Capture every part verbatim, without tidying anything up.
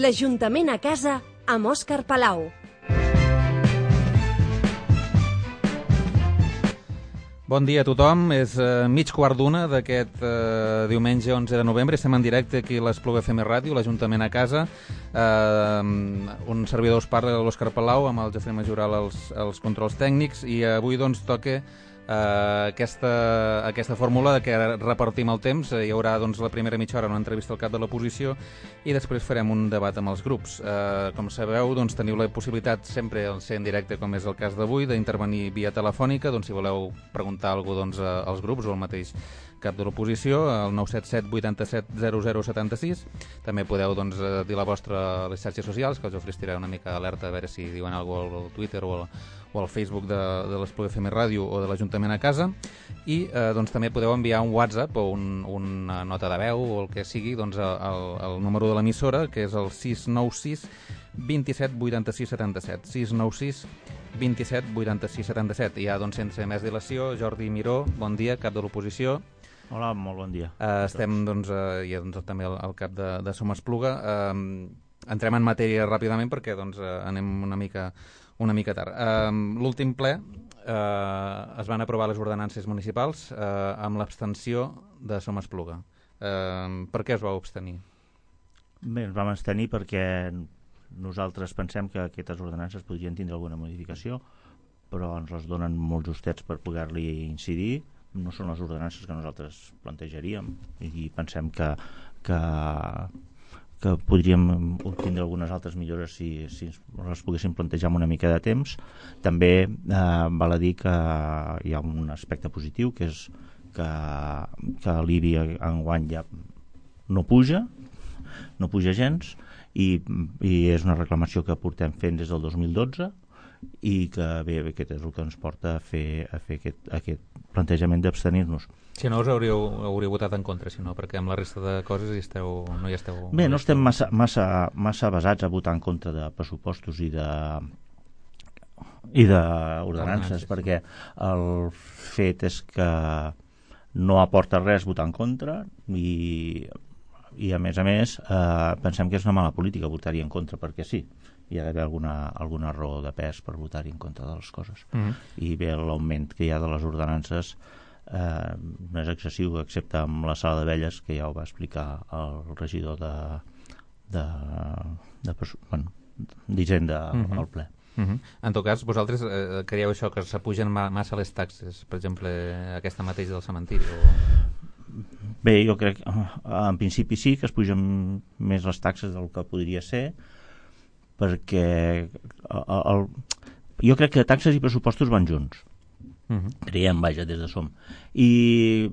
L'Ajuntament a casa amb Òscar Palau. Bon dia a tothom, és eh, mig quart d'una d'aquest eh, diumenge onze de novembre. Estem en directe aquí a l'Espluga F M Ràdio, l'Ajuntament a casa. Eh, un servidor us parla, l'Òscar Palau, amb el Jofre Majoral als, als controls tècnics, i avui doncs toca Uh, aquesta, aquesta fórmula de que repartim el temps. Hi haurà doncs, la primera mitja hora una entrevista al cap de l'oposició i després farem un debat amb els grups. Uh, com sabeu, doncs, teniu la possibilitat sempre al ser en directe, com és el cas d'avui, d'intervenir via telefònica. Doncs, si voleu preguntar alguna cosa doncs, als grups o al mateix cap de l'oposició, al nou set set vuit set zero zero set sis. També podeu doncs, dir la vostra a les xarxes socials, que els ofreceré una mica alerta a veure si diuen alguna cosa al Twitter o al, o al Facebook de, de l'Espluga F M Ràdio o de l'Ajuntament a casa. I eh, doncs, també podeu enviar un WhatsApp o un, una nota de veu o el que sigui doncs, al, al número de l'emissora, que és el sis nou sis vint set vuitanta sis setanta set. sis nou sis vint set vuitanta sis setanta set. I ja, doncs, sense més dilació, Jordi Miró, bon dia, cap de l'oposició. Hola, molt bon dia. Uh, estem, doncs, uh, i doncs, també al, al cap de, de Som Espluga. Uh, entrem en matèria ràpidament perquè doncs, uh, anem una mica, una mica tard. Uh, L'últim ple uh, es van aprovar les ordenances municipals uh, amb l'abstenció de Som Espluga. Uh, per què es vau abstenir? Bé, ens vam abstenir perquè nosaltres pensem que aquestes ordenances podrien tindre alguna modificació, però ens les donen molt justets per poder-li incidir. No són les ordenances que nosaltres plantejaríem i pensem que, que, que podríem obtindre algunes altres millores si, si les poguéssim plantejar amb una mica de temps. També eh, val a dir que hi ha un aspecte positiu, que és que, que l'I B I enguany ja no puja, no puja gens, i, i és una reclamació que portem fent des del dos mil dotze, i que bé, aquest és el que ens porta a fer, a fer aquest, aquest plantejament d'abstenir-nos. Si no, us hauríeu, hauríeu votat en contra, si no, perquè amb la resta de coses hi esteu, no hi esteu... Bé, no estem massa, massa, massa basats a votar en contra de pressupostos i de i d'ordenances, perquè el fet és que no aporta res votar en contra i, i a més a més eh, pensem que és una mala política votar-hi en contra perquè sí. Hi ha d'haver alguna, alguna raó de pes per votar-hi en contra de les coses. Mm-hmm. I bé, l'augment que hi ha de les ordenances eh, no és excessiu, excepte amb la sala d'abelles, que ja ho va explicar el regidor de, de, de, bueno, d'Hisenda mm-hmm. al ple. Mm-hmm. En tot cas, vosaltres eh, creieu això, que s'apugen ma massa les taxes, per exemple, aquesta mateixa del cementiri? O... Bé, jo crec que en principi sí, que es pugen més les taxes del que podria ser, perquè el, el, jo crec que taxes i pressupostos van junts. Uh-huh. Creiem, vaja, des de Som. I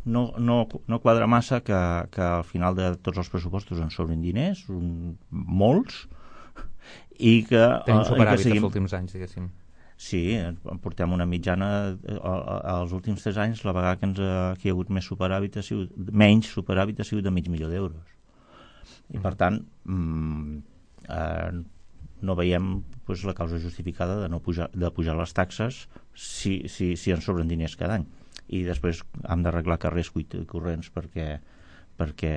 no, no, no quadra massa que, que al final de tots els pressupostos ens sobrin diners, un, molts, i que... Tenim superàvit seguim... els últims anys, diguéssim. Sí, portem una mitjana als últims tres anys, la vegada que, ens ha, que hi ha hagut més superàvit ha sigut, menys superàvit ha sigut de mig milió d'euros. I per tant... Mm, Eh, no veiem pues, la causa justificada de no pujar, de pujar les taxes si, si, si ens sobren diners cada any, i després hem d'arreglar carrers corrents perquè, perquè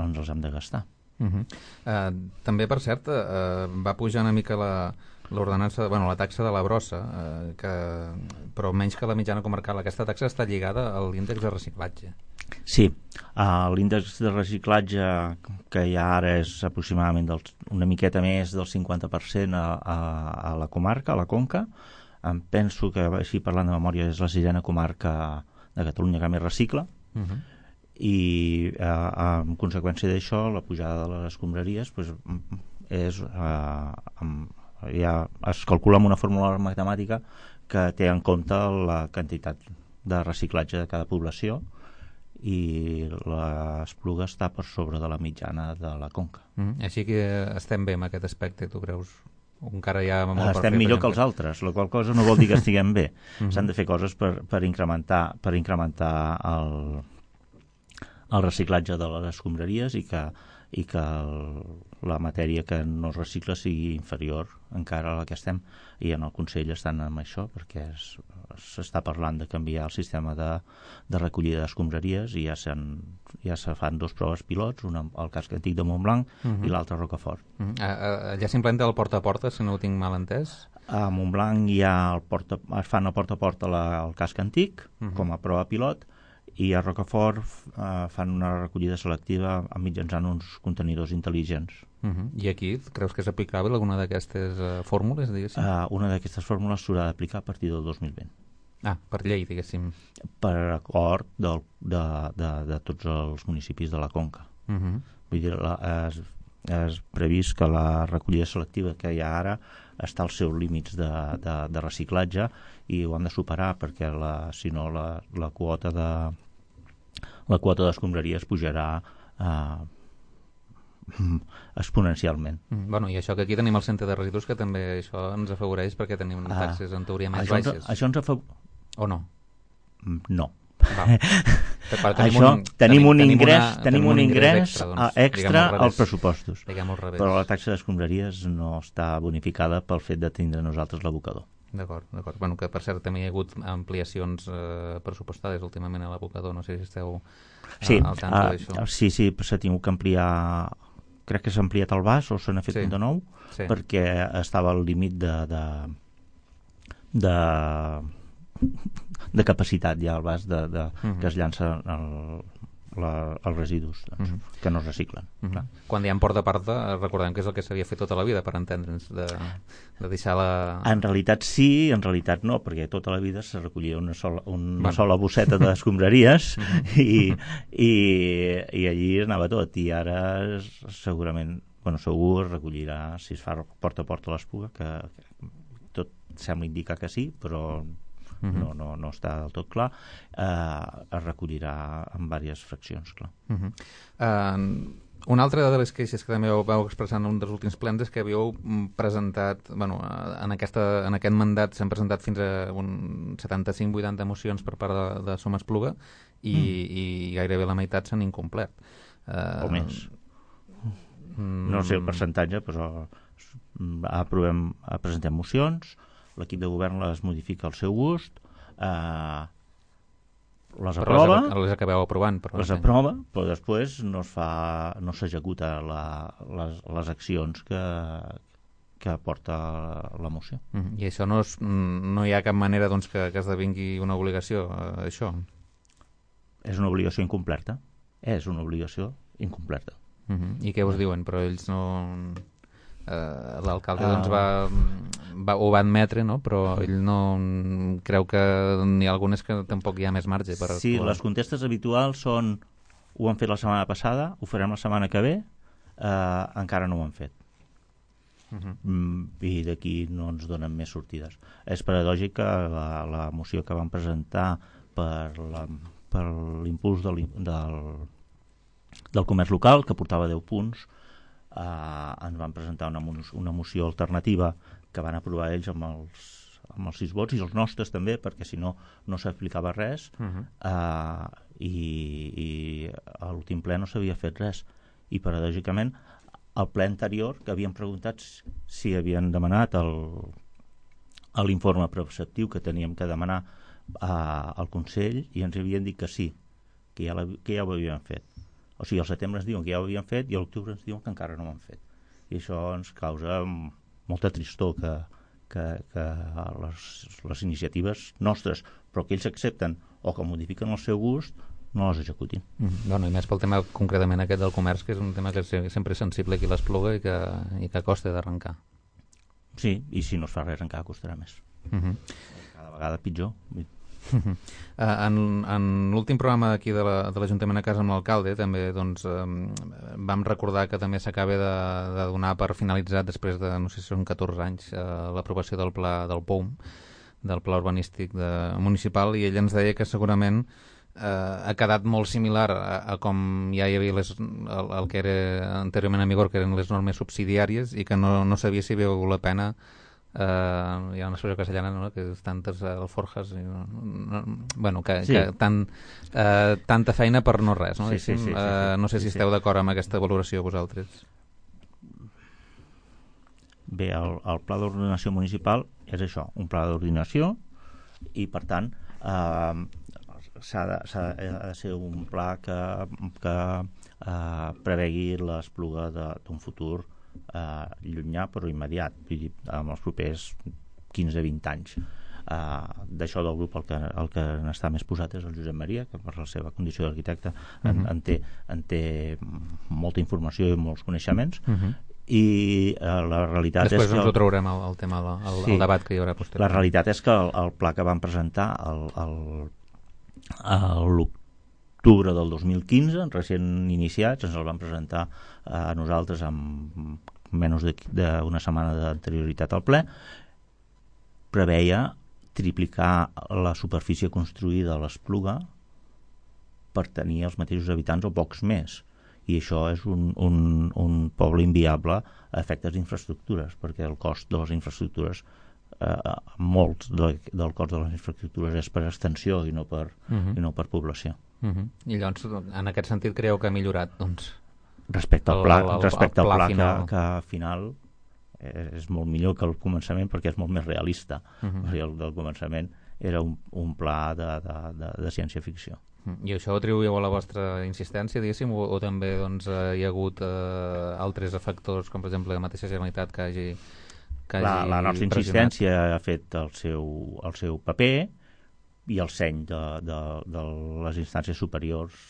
ens els hem de gastar. Uh-huh. uh, també, per cert, uh, va pujar una mica la l'ordenança, bueno, la taxa de la brossa, eh, que, però menys que la mitjana comarcal. Aquesta taxa està lligada a l'índex de reciclatge. Sí, uh, l'índex de reciclatge que ja ara és aproximadament del, una miqueta més del cinquanta per cent a, a, a la comarca, a la Conca. Em penso que, així parlant de memòria, és la sisena comarca de Catalunya que més recicla. Uh-huh. I uh, en conseqüència d'això, la pujada de les escombraries pues, és... Uh, amb, ja es calcula amb una fórmula matemàtica que té en compte la quantitat de reciclatge de cada població, i l'Espluga està per sobre de la mitjana de la Conca. Mm, així que estem bé en aquest aspecte, tu creus? Encara hi ha molt estem per fer, millor per que els altres, la qual cosa no vol dir que estiguem bé. Mm-hmm. S'han de fer coses per, per incrementar, per incrementar el, el reciclatge de les escombraries i que, i que el, la matèria que no es recicla sigui inferior encara a la que estem, i en el Consell estan amb això perquè s'està parlant de canviar el sistema de, de recollida d'escombraries i ja, ja se fan dos proves pilots, una al casc antic de Montblanc uh-huh. i l'altra a Rocafort. Uh-huh. Allà s'implementa el porta a porta, si no ho tinc mal entès? A Montblanc hi ha el porta, es fan el porta a porta la, el casc antic uh-huh. com a prova pilot, i a Rocafort eh, fan una recollida selectiva mitjançant uns contenidors intel·ligents. Uh-huh. I aquí creus que és aplicable alguna d'aquestes uh, fórmules, diguéssim? Uh, una d'aquestes fórmules s'haurà d'aplicar a partir del dos mil vint. Ah, per llei, diguéssim. Per acord del, de, de, de tots els municipis de la Conca. Uh-huh. Vull dir, la, és, és previst que la recollida selectiva que hi ha ara està als seus límits de, de, de reciclatge, i ho han de superar perquè la, si no la, la quota de la quota d'escombraries pujarà eh, exponencialment. Mm, bueno, i això que aquí tenim el centre de residus, que també això ens afavoreix perquè tenim ah, taxes en teoria més això baixes. Ens, això ens afavoreix... O no? No. Val. Però tenim això, un, tenim un tenim ingrés, una, tenim un ingrés extra, doncs, extra al als pressupostos. Revés. Però la taxa d'escombraries no està bonificada pel fet de tindre nosaltres l'abocador. D'acord, d'acord. Bueno, que per cert també hi ha hagut ampliacions eh, pressupostades últimament a l'abocador, no sé si esteu eh, sí, al tanto uh, d'això. Sí, sí, s'ha tingut que ampliar, crec que s'ha ampliat el baix o se n'ha fet sí. un de nou, sí. perquè estava al límit de, de, de, de capacitat ja al baix de, de, uh-huh. que es llança el, la, els residus doncs, uh-huh. que no es reciclen. Uh-huh. Clar. Quan hi ha porta a porta, recordem que és el que s'havia fet tota la vida, per entendre'ns, de, de deixar la... En realitat sí, en realitat no, perquè tota la vida se recollia una sola, una bueno. sola bosseta d'escombraries uh-huh. i, i, i allí anava tot, i ara segurament, bueno, segur es recollirà, si es fa porta a porta l'Espluga, que, que tot sembla indicar que sí, però... Uh-huh. no, no, no està del tot clar, eh, es recollirà en diverses fraccions, clar. Uh-huh. Uh, una altra de les queixes que també vau, vau expressar en un dels últims plens és que havíeu presentat, bueno, en, aquesta, en aquest mandat s'han presentat fins a un setanta-cinc vuitanta mocions per part de, de Som Espluga i, mm. i gairebé la meitat s'han incomplert. Uh, o més. Mm. No sé el percentatge, però aprovem, presentem mocions, l'equip de govern les modifica al seu gust, eh, les però aprova, les, les acabeu aprovant, però les no sé. aprova, però després no es fa, no s'executa la, les, les accions que, que porta la moció. Mm, I això no, és, no hi ha cap manera doncs, que, que esdevingui una obligació, eh, això? És una obligació incomplerta. És una obligació incomplerta. Mm-hmm. I què us diuen? Però ells no... Uh, l'alcalde uh, doncs va, va, ho va admetre, no? Però ell no creu que n'hi ha algunes que tampoc hi ha més marge per sí, actuar. Les contestes habituals són ho han fet la setmana passada, ho farem la setmana que ve, uh, encara no ho han fet. Uh-huh. mm, i d'aquí no ens donen més sortides. És paradògic que la, la moció que van presentar per, la, per l'impuls del, del, del comerç local, que portava deu punts, Uh, ens van presentar una, una moció alternativa que van aprovar ells amb els, amb els sis vots i els nostres també, perquè si no no s'aplicava res. uh-huh. uh, i, i a l'últim ple no s'havia fet res, i paradògicament al ple anterior que havien preguntat si havien demanat el, l'informe preceptiu que teníem que demanar uh, al Consell, i ens havien dit que sí, que ja, la, que ja ho havien fet. O sigui, al setembre ens diuen que ja ho havien fet i a l'octubre ens diuen que encara no ho han fet. I això ens causa molta tristor que, que, que les, les iniciatives nostres, però que ells accepten o que modifiquen el seu gust, no les executin. Mm, bueno, i més pel tema concretament aquest del comerç, que és un tema que és sempre sensible aquí a l'Espluga i que, i que costa d'arrencar. Sí, i si no es fa res encara costarà més. Mm-hmm. Cada vegada pitjor. Uh, en en l'últim programa aquí de l'Ajuntament la, a Casa amb l'alcalde també doncs, um, vam recordar que també s'acaba de, de donar per finalitzat després de, no sé si són catorze anys, uh, l'aprovació del pla del P O U M, del pla urbanístic de, municipal, i ell ens deia que segurament uh, ha quedat molt similar a, a com ja hi havia les, el, el que era anteriorment en vigor, que eren les normes subsidiàries, i que no, no sabia si veu la pena. Uh, hi ha una expressió castellana, no? Que és tantes alforjas i, no, no, bueno, que, sí. que tant, uh, tanta feina per no res, no? Sí, sí, sí, sí, sí, uh, no sé si sí, esteu sí. d'acord amb aquesta valoració vosaltres. Bé, el, el pla d'ordenació municipal és això, un pla d'ordinació, i per tant eh, s'ha de, s'ha de ser un pla que, que eh, prevegui l'espluga d'un futur eh, llunyà però immediat, vull dir, en els propers quinze a vint anys. Uh, d'això del grup el que, el que n'està més posat és el Josep Maria, que per la seva condició d'arquitecte uh-huh. en, en, té, en té molta informació i molts coneixements, uh-huh. i uh, la realitat després és que... Després ens ho traurem el, el tema, el, sí, el debat que hi haurà posterior. La realitat és que el, el pla que van presentar el, el, el, l'octubre del dos mil quinze, recent iniciats, ens el van presentar a nosaltres amb menys d'una setmana d'anterioritat al ple, preveia triplicar la superfície construïda a l'Espluga per tenir els mateixos habitants o pocs més, i això és un, un, un poble inviable a efectes d'infraestructures, perquè el cost de les infraestructures eh, molts de, del cost de les infraestructures és per extensió i no per, uh-huh. i no per població. Uh-huh. I llavors, en aquest sentit, creieu que ha millorat, doncs, respecte al pla, el, el, respecte el pla al pla final. Que, que al final és molt millor que el començament perquè és molt més realista. Uh-huh. Perquè el del començament era un, un pla de, de, de, de ciència-ficció. Uh-huh. I això ho atribuïu a la vostra insistència, diguéssim, o, o també doncs, eh, hi ha hagut eh, altres factors, com per exemple la mateixa Generalitat que hagi, que hagi la, la nostra pressionat? insistència ha fet el seu, el seu paper i el seny de, de, de les instàncies superiors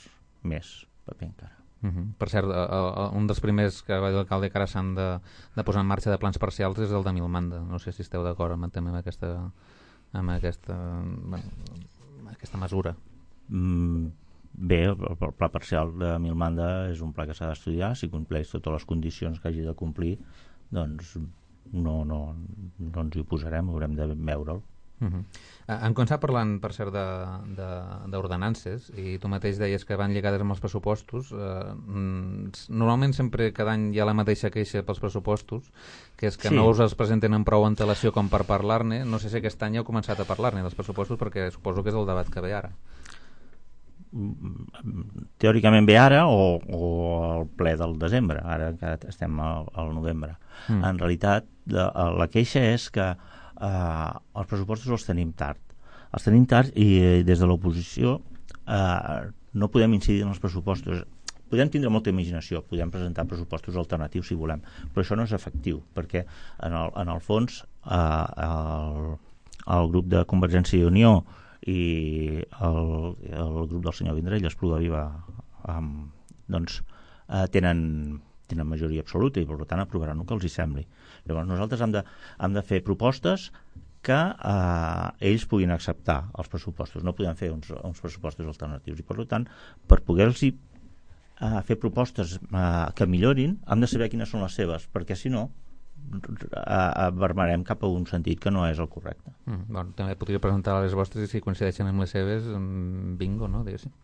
més paper encara. Uh-huh. Per cert, uh, uh, un dels primers que va dir l'alcalde que ara s'han de, de posar en marxa de plans parcials és el de Milmanda. No sé si esteu d'acord amb, amb aquesta, amb aquesta, bueno, aquesta mesura. Mm, bé, el, el pla parcial de Milmanda és un pla que s'ha d'estudiar. Si compleix totes les condicions que hagi de complir, doncs no, no, no ens hi oposarem, haurem de veure'l. Uh-huh. Hem començat parlant, per cert, d'ordenances, i tu mateix deies que van lligades amb els pressupostos. Uh, normalment sempre cada any hi ha la mateixa queixa pels pressupostos, que és que sí. no us els presenten amb prou antelació com per parlar-ne. No sé si aquest any heu començat a parlar-ne dels pressupostos, perquè suposo que és el debat que ve ara. Teòricament ve ara o, o el ple del desembre, ara que estem al, al novembre. Mm. En realitat, la, la queixa és que Uh, els pressupostos els tenim tard els tenim tard i eh, des de l'oposició uh, no podem incidir en els pressupostos. Podem tindre molta imaginació, podem presentar pressupostos alternatius si volem, però això no és efectiu perquè en el, en el fons uh, el, el grup de Convergència i Unió i el, el grup del senyor Vendrell, Espluga Viva, um, doncs uh, tenen tenen majoria absoluta i per tant aprovaran el que els hi sembli. Llavors nosaltres hem de, hem de fer propostes que eh, ells puguin acceptar els pressupostos. No podem fer uns, uns pressupostos alternatius i per tant, per poder-los eh, fer propostes eh, que millorin, hem de saber quines són les seves, perquè si no eh, vermarem cap a un sentit que no és el correcte. Mm, bueno, també podria presentar les vostres i si coincideixen amb les seves, bingo, no? Diguéssim.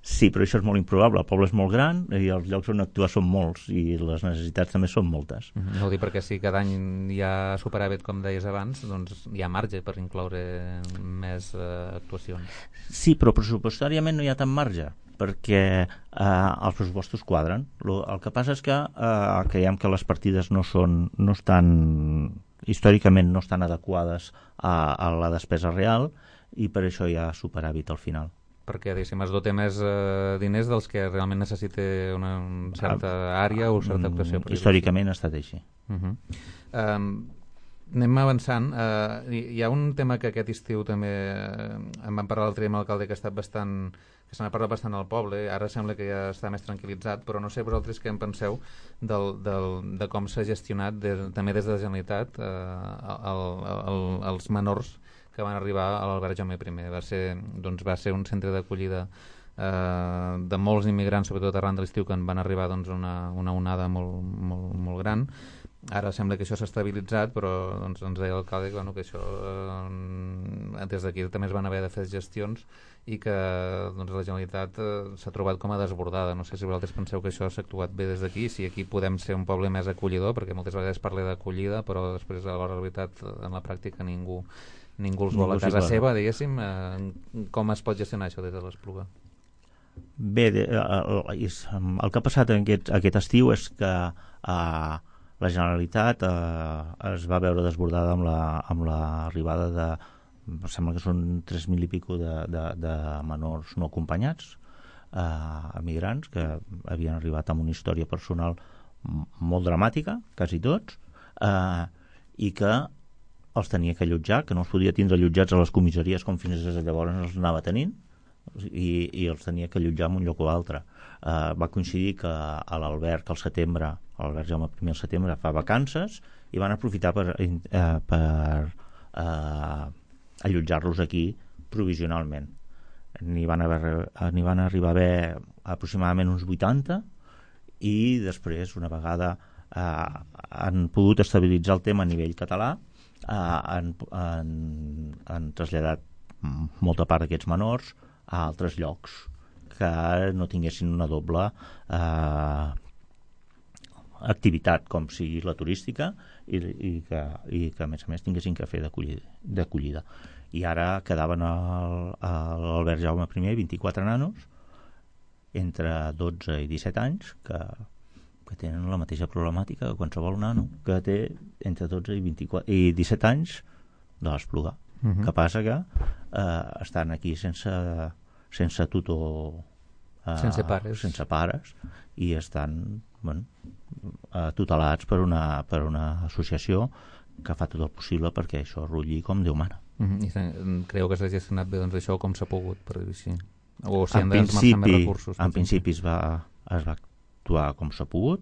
Sí, però això és molt improbable. El poble és molt gran i els llocs on actuar són molts i les necessitats també són moltes. No ho dic perquè si cada any hi ha superàvit, com deies abans, doncs hi ha marge per incloure més eh, actuacions. Sí, però pressupostàriament no hi ha tant marge perquè eh, els pressupostos quadren. Lo, el que passa és que eh, creiem que les partides no són, no estan, històricament no estan adequades a, a la despesa real i per això hi ha superàvit al final. Perquè, diguéssim, es dote més eh, diners dels que realment necessita una, una certa àrea o certa actuació. Històricament ha estat així. Uh-huh. Um, anem avançant. Uh, hi, hi ha un tema que aquest estiu també uh, em van parlar l'altre dia amb l'alcalde que ha estat bastant, que se n'ha parlat bastant al poble. Ara sembla que ja està més tranquil·litzat, però no sé vosaltres què en penseu del, del, de com s'ha gestionat de, també des de la Generalitat uh, el, el, els menors que van arribar a l'Albert Jaume primer. Va ser, doncs, va ser un centre d'acollida eh, de molts immigrants, sobretot arran de l'estiu, que en van arribar doncs, una, una onada molt, molt, molt gran. Ara sembla que això s'ha estabilitzat, però doncs, ens deia l'alcalde que, bueno, que això eh, des d'aquí també es van haver de fer gestions i que doncs, la Generalitat eh, s'ha trobat com a desbordada. No sé si vosaltres penseu que això s'ha actuat bé des d'aquí, si aquí podem ser un poble més acollidor, perquè moltes vegades parla d'acollida, però després a la veritat en la pràctica ningú ningú els vol a casa seva, diguéssim. Eh, com es pot gestionar això des de l'Espluga? Bé, de, el, el que ha passat en aquest, aquest estiu és que eh, la Generalitat eh, es va veure desbordada amb la, amb l'arribada de, em sembla que són tres mil i pico de, de, de menors no acompanyats, eh, emigrants, que havien arribat amb una història personal molt dramàtica, quasi tots, eh, i que els tenia que allotjar, que no els podia tindre allotjats a les comissaries com fins llavors els anava tenint, i, i els tenia que allotjar en un lloc o altre. Uh, va coincidir que a l'Alberg al setembre, l'Alberg Jaume primer al setembre fa vacances i van aprofitar per, uh, per uh, allotjar-los aquí provisionalment. N'hi van, haver, n'hi van arribar a haver aproximadament uns vuitanta i després, una vegada uh, han pogut estabilitzar el tema a nivell català, uh, han, han, han traslladat molta part d'aquests menors a altres llocs que no tinguessin una doble eh, activitat com sigui la turística i, i, que, i que a més a més tinguessin que fer d'acollida. I ara quedaven al, a l'Alberg Jaume primer vint-i-quatre nanos entre dotze i disset anys que, que tenen la mateixa problemàtica que qualsevol nano que té entre dotze i, vint-i-quatre, i disset anys de l'Espluga. Uh-huh. Que passa que eh, estan aquí sense, sense tutor, eh, sense pares, sense pares i estan bueno, eh, tutelats per una, per una associació que fa tot el possible perquè això rutlli com Déu mana. Uh-huh. I creu que s'ha gestionat bé doncs, això com s'ha pogut, per dir així? O si han d'esmerçar més recursos? En principi es va, es va actuar com s'ha pogut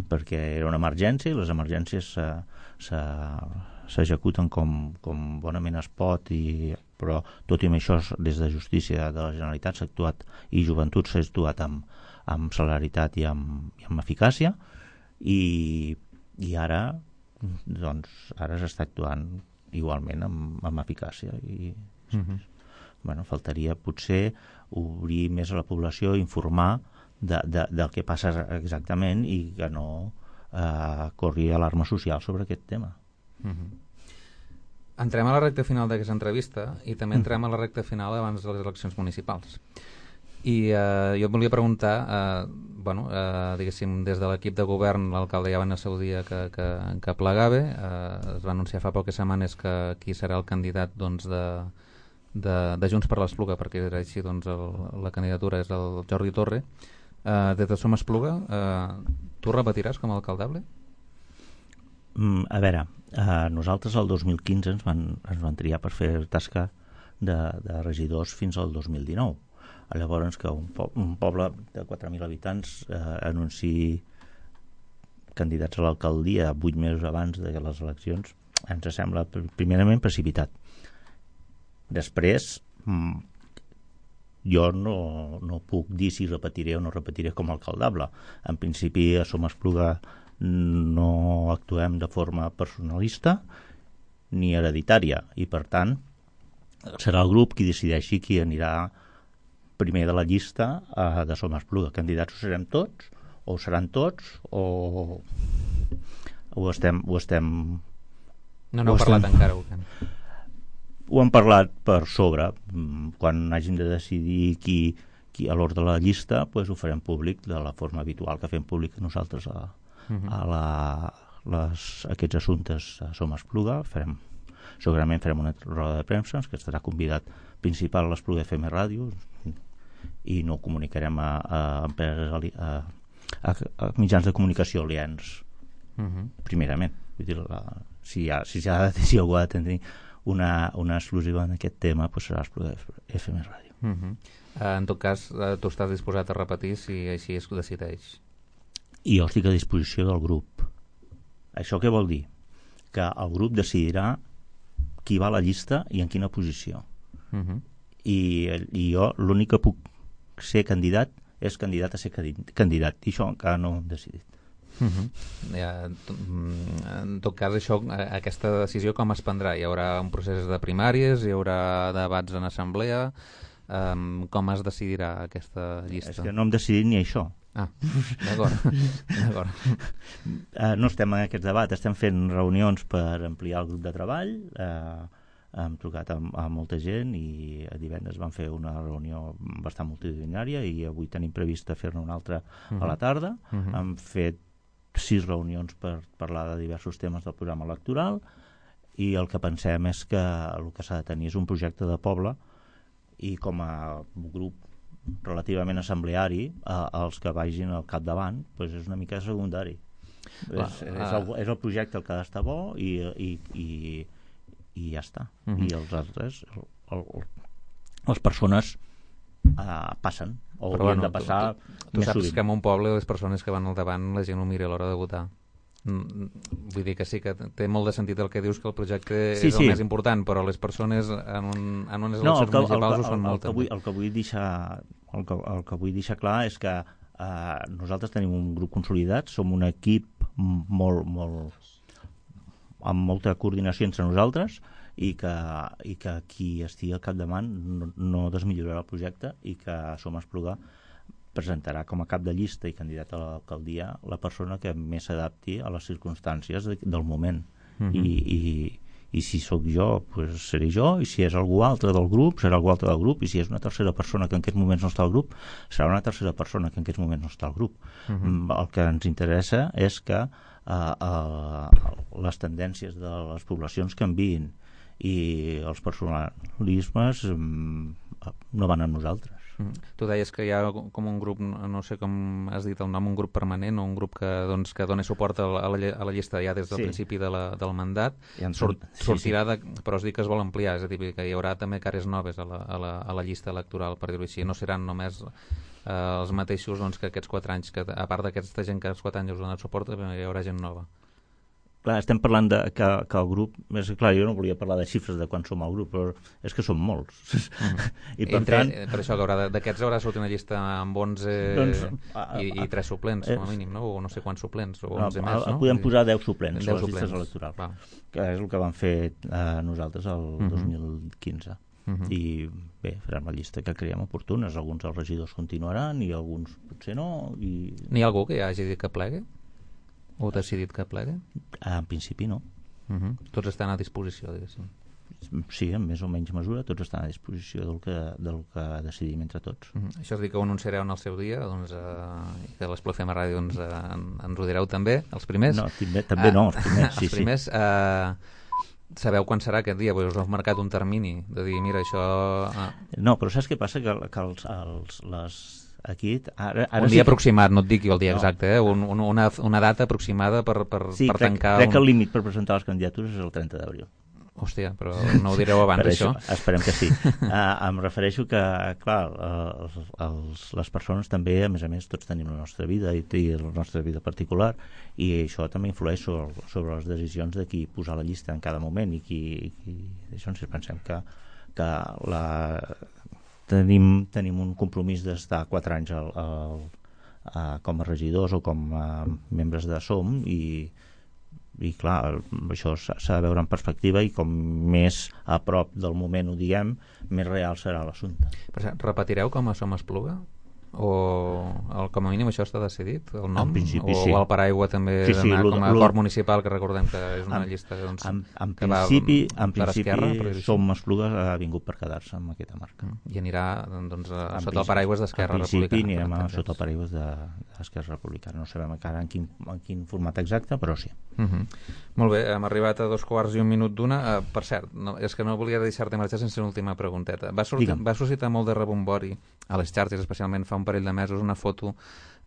perquè era una emergència i les emergències s'ha, s'ha s'executen com, com bonament es pot, i, però tot i amb això des de Justícia de la Generalitat s'ha actuat i Joventut s'ha actuat amb, amb celeritat i amb, i amb eficàcia i, i ara doncs ara s'està actuant igualment amb, amb eficàcia i uh-huh. bueno, faltaria potser obrir més a la població, informar de, de, del que passa exactament i que no eh, corri alarma social sobre aquest tema. Uh-huh. Entrem a la recta final d'aquesta entrevista i també entrem a la recta final abans de les eleccions municipals i eh, jo et volia preguntar eh, bueno, eh, diguéssim des de l'equip de govern l'alcalde ja va anar a seu dia que, que, que plegava, eh, es va anunciar fa poques setmanes que qui serà el candidat doncs, de, de, de Junts per l'Espluga, perquè era així doncs, el, la candidatura és el Jordi Torre. eh, des de Som Espluga eh, tu repetiràs com a alcaldable? Mm, a veure, eh, nosaltres el dos mil quinze ens van, ens van triar per fer tasca de, de regidors fins al dos mil dinou. Llavors que un, po un poble de quatre mil habitants eh, anunciï candidats a l'alcaldia vuit mesos abans de les eleccions ens sembla primerament precipitat. Després mm, jo no, no puc dir si repetiré o no repetiré com a alcaldable. En principi a Som Espluga no actuem de forma personalista ni hereditària i per tant serà el grup qui decideixi qui anirà primer de la llista eh, de Som Espluga. Candidats ho serem tots o ho seran tots o ho estem ho estem no n'heu parlat estem... encara ho, ho hem parlat per sobre. Quan hàgim de decidir qui, qui a l'ordre de la llista pues ho farem públic de la forma habitual que fem públic nosaltres a Uh-huh. a la, les, aquests assumptes a Som Espluga. Farem, segurament farem una roda de premsa que estarà convidat principal a l'Espluga F M Ràdio i no comunicarem a, a empreses a, a, a mitjans de comunicació aliens uh-huh. primerament. Vull dir, la, si, ha, si, ha, si algú ha de tenir una, una exclusiva en aquest tema pues serà l'Espluga F M Ràdio. Uh-huh. uh, en tot cas uh, tu estàs disposat a repetir si així es decideix? I jo estic a disposició del grup. Això què vol dir? Que el grup decidirà qui va a la llista i en quina posició. Uh-huh. I, i jo l'únic que puc ser candidat és candidat a ser candidat. I això encara no ho hem decidit. Uh-huh. Ja, en tot cas, això, aquesta decisió com es prendrà? Hi haurà un procés de primàries, hi haurà debats en assemblea... Um, com es decidirà aquesta llista? És que no hem decidit ni això. Ah, d'acord. d'acord. Uh, no estem en aquest debat, estem fent reunions per ampliar el grup de treball, uh, hem trucat a, a molta gent i a divendres vam fer una reunió bastant multitudinària i avui tenim previst fer-ne una altra uh-huh. a la tarda. Uh-huh. Hem fet sis reunions per parlar de diversos temes del programa electoral, i el que pensem és que el que s'ha de tenir és un projecte de poble, i com a grup relativament assembleari, eh, els que vagin al capdavant doncs és una mica secundari. Clar, és, és, el, és el projecte el que ha d'estar bo i, i, i, i ja està. Uh-huh. I els altres, el, el, les persones uh, passen, o però haurien bueno, de passar tu, tu, tu més saps sovint. que en un poble les persones que van al davant la gent ho mira a l'hora de votar. Mm, vull dir que sí que té molt de sentit el que dius, que el projecte sí, és el sí. més important, però les persones en, un, en unes No, eleccions el que, municipals el, ho són el, molt el, que també. vull, el que vull deixar el que, el que vull deixar clar és que uh, nosaltres tenim un grup consolidat, som un equip molt, molt amb molta coordinació entre nosaltres, i que, i que qui estigui al capdavant no, no desmillorarà el projecte, i que Som Espluga presentarà com a cap de llista i candidat a l'alcaldia la persona que més s'adapti a les circumstàncies de, del moment. Uh-huh. I, i, i si sóc jo, pues seré jo, i si és algú altre del grup, serà algú altre del grup, i si és una tercera persona que en aquests moments no està al grup, serà una tercera persona que en aquests moments no està al grup. Uh-huh. El que ens interessa és que uh, uh, les tendències de les poblacions canviïn, i els personalismes um, no van amb nosaltres. Mm. Tu deies que hi ha com un grup, no sé com has dit el nom, un grup permanent o un grup que, doncs, que dona suport a la, a la llista ja des del sí. principi de la, del mandat. Sort, sí, sortirà sí. de, però es diu que es vol ampliar, és a dir, que hi haurà també cares noves a la, a la, a la llista electoral, per dir-ho així. No seran només eh, els mateixos doncs, que aquests quatre anys, que a part d'aquesta gent que els quatre anys us dona suport, hi haurà gent nova. Clar, estem parlant de que, que el grup... És clar, jo no volia parlar de xifres de quan som al grup, però és que som molts. Mm. I per Entre, tant... Per això que d'aquests haurà sortit una llista amb onze doncs, i, i tres suplents, com a mínim, no? O no sé quants suplents, o onze no, més, no? Podem posar deu suplents deu a les suplents. llistes electorals, Va. que és el que vam fer eh, nosaltres el uh-huh. dos mil quinze. Uh-huh. I bé, farem la llista que creiem oportunes. Alguns dels regidors continuaran i alguns potser no. I... N'hi ha algú que ja hagi dit que plegui? O decidit que plegui? En principi no. Uh-huh. Tots estan a disposició, diguéssim. Sí, en més o menys mesura, tots estan a disposició del que, del que decidim entre tots. Uh-huh. Això és dir que ho anunciareu en el seu dia, doncs, eh, que l'Espluga F M Ràdio doncs, eh, en, ens ho direu també, els primers? No, també, també no, els primers, sí, els primers, sí. Eh, sabeu quan serà aquest dia? Pues us heu marcat un termini de dir, mira, això... Ah. No, però saps què passa? Que, que els, els, les... Aquí, ara, ara un dia sí que... aproximat, no et dic jo el dia no. exacte, eh? un, un, una, una data aproximada per, per, sí, per crec, tancar... crec un... que el límit per presentar les candidatures és el trenta d'abril. Hòstia, però no ho direu abans, això? això? Esperem que sí. uh, em refereixo que, clar, els, els, les persones també, a més a més, tots tenim la nostra vida i, i la nostra vida particular, i això també influeix sobre, sobre les decisions de qui posar la llista en cada moment, i qui... I qui això ens pensem que, que la... Tenim, tenim un compromís d'estar quatre anys al, al, a, com a regidors o com a membres de Som, i, i clar, això s'ha de veure en perspectiva, i com més a prop del moment ho diguem, més real serà l'assumpte. Repetireu com a Som Espluga? O el, com a mínim això està decidit, el nom? En principi, o, sí. o el paraigua també sí, sí, d'anar com a lo, acord municipal, que recordem que és una en, llista doncs, en, en que principi, va en per principi esquerra, Som Espluga ha vingut per quedar-se amb aquesta marca. I anirà doncs, a, en sota el paraigües d'Esquerra Republicana. En principi anirem a, sota el paraigües d'Esquerra Republicana. No sabem encara en quin, en quin format exacte, però sí. Uh -huh. Molt bé, hem arribat a dos quarts i un minut d'una. Uh, per cert, no, és que no volia deixar-te marxar sense una última pregunteta. Va, sortir, va suscitar molt de rebombori a les xarxes, especialment fa un parell de mesos, una foto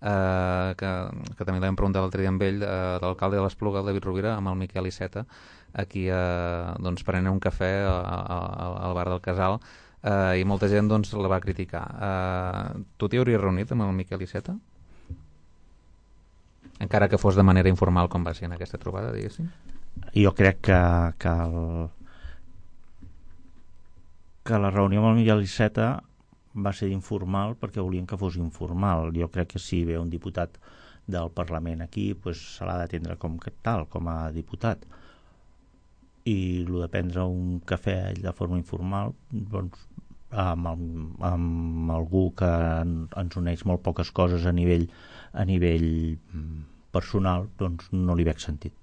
Uh, que, que també l'hem preguntat l'altre dia amb ell, uh, l'alcalde de l'Espluga, el David Rovira, amb el Miquel Iceta, aquí uh, doncs, prenent un cafè a, a, a, al bar del Casal, uh, i molta gent doncs, la va criticar. Uh, tu t'hi hauries reunit amb el Miquel Iceta? Encara que fos de manera informal, com va ser en aquesta trobada, diguéssim? Jo crec que, que, el, que la reunió amb el Miquel Iceta va ser informal perquè volíem que fos informal. Jo crec que si ve un diputat del Parlament aquí, pues, se l'ha d'atendre com que tal, com a diputat. I el de prendre un cafè de forma informal, doncs, amb, el, amb algú que ens uneix molt poques coses a nivell, a nivell personal, doncs no li veig sentit.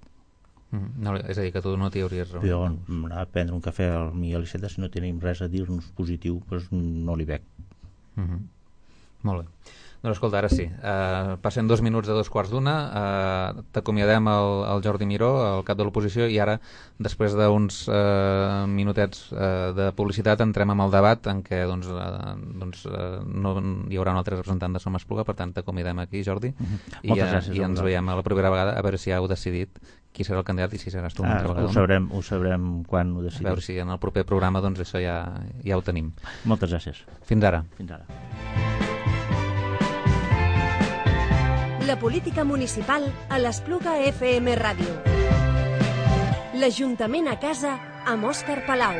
Mm, no, és a dir, que tu no t'hi hauries reunit. Jo anar a prendre un cafè al Miguel Iceta, si no tenim res a dir-nos positiu, doncs no li veig. Mm-hmm. Molt bé. Doncs escolta, ara sí. Uh, passen dos minuts de dos quarts d'una. Uh, T'acomiadem el, el Jordi Miró, el cap de l'oposició, i ara, després d'uns uh, minutets uh, de publicitat, entrem amb el debat en què doncs, uh, doncs, uh, no hi haurà un altre representant de Som Espluga, per tant t'acomiadem aquí, Jordi, mm-hmm. i, uh, gràcies, i ens veiem a la propera vegada, a veure si heu decidit qui serà el candidat i si seràs tu una ah, altra vegada. Ho sabrem, ho sabrem quan ho decidim. A veure si en el proper programa doncs, això ja, ja ho tenim. Moltes gràcies. Fins ara. Fins ara. La política municipal a l'Espluga F M Ràdio. L'Ajuntament a casa amb Òscar Palau.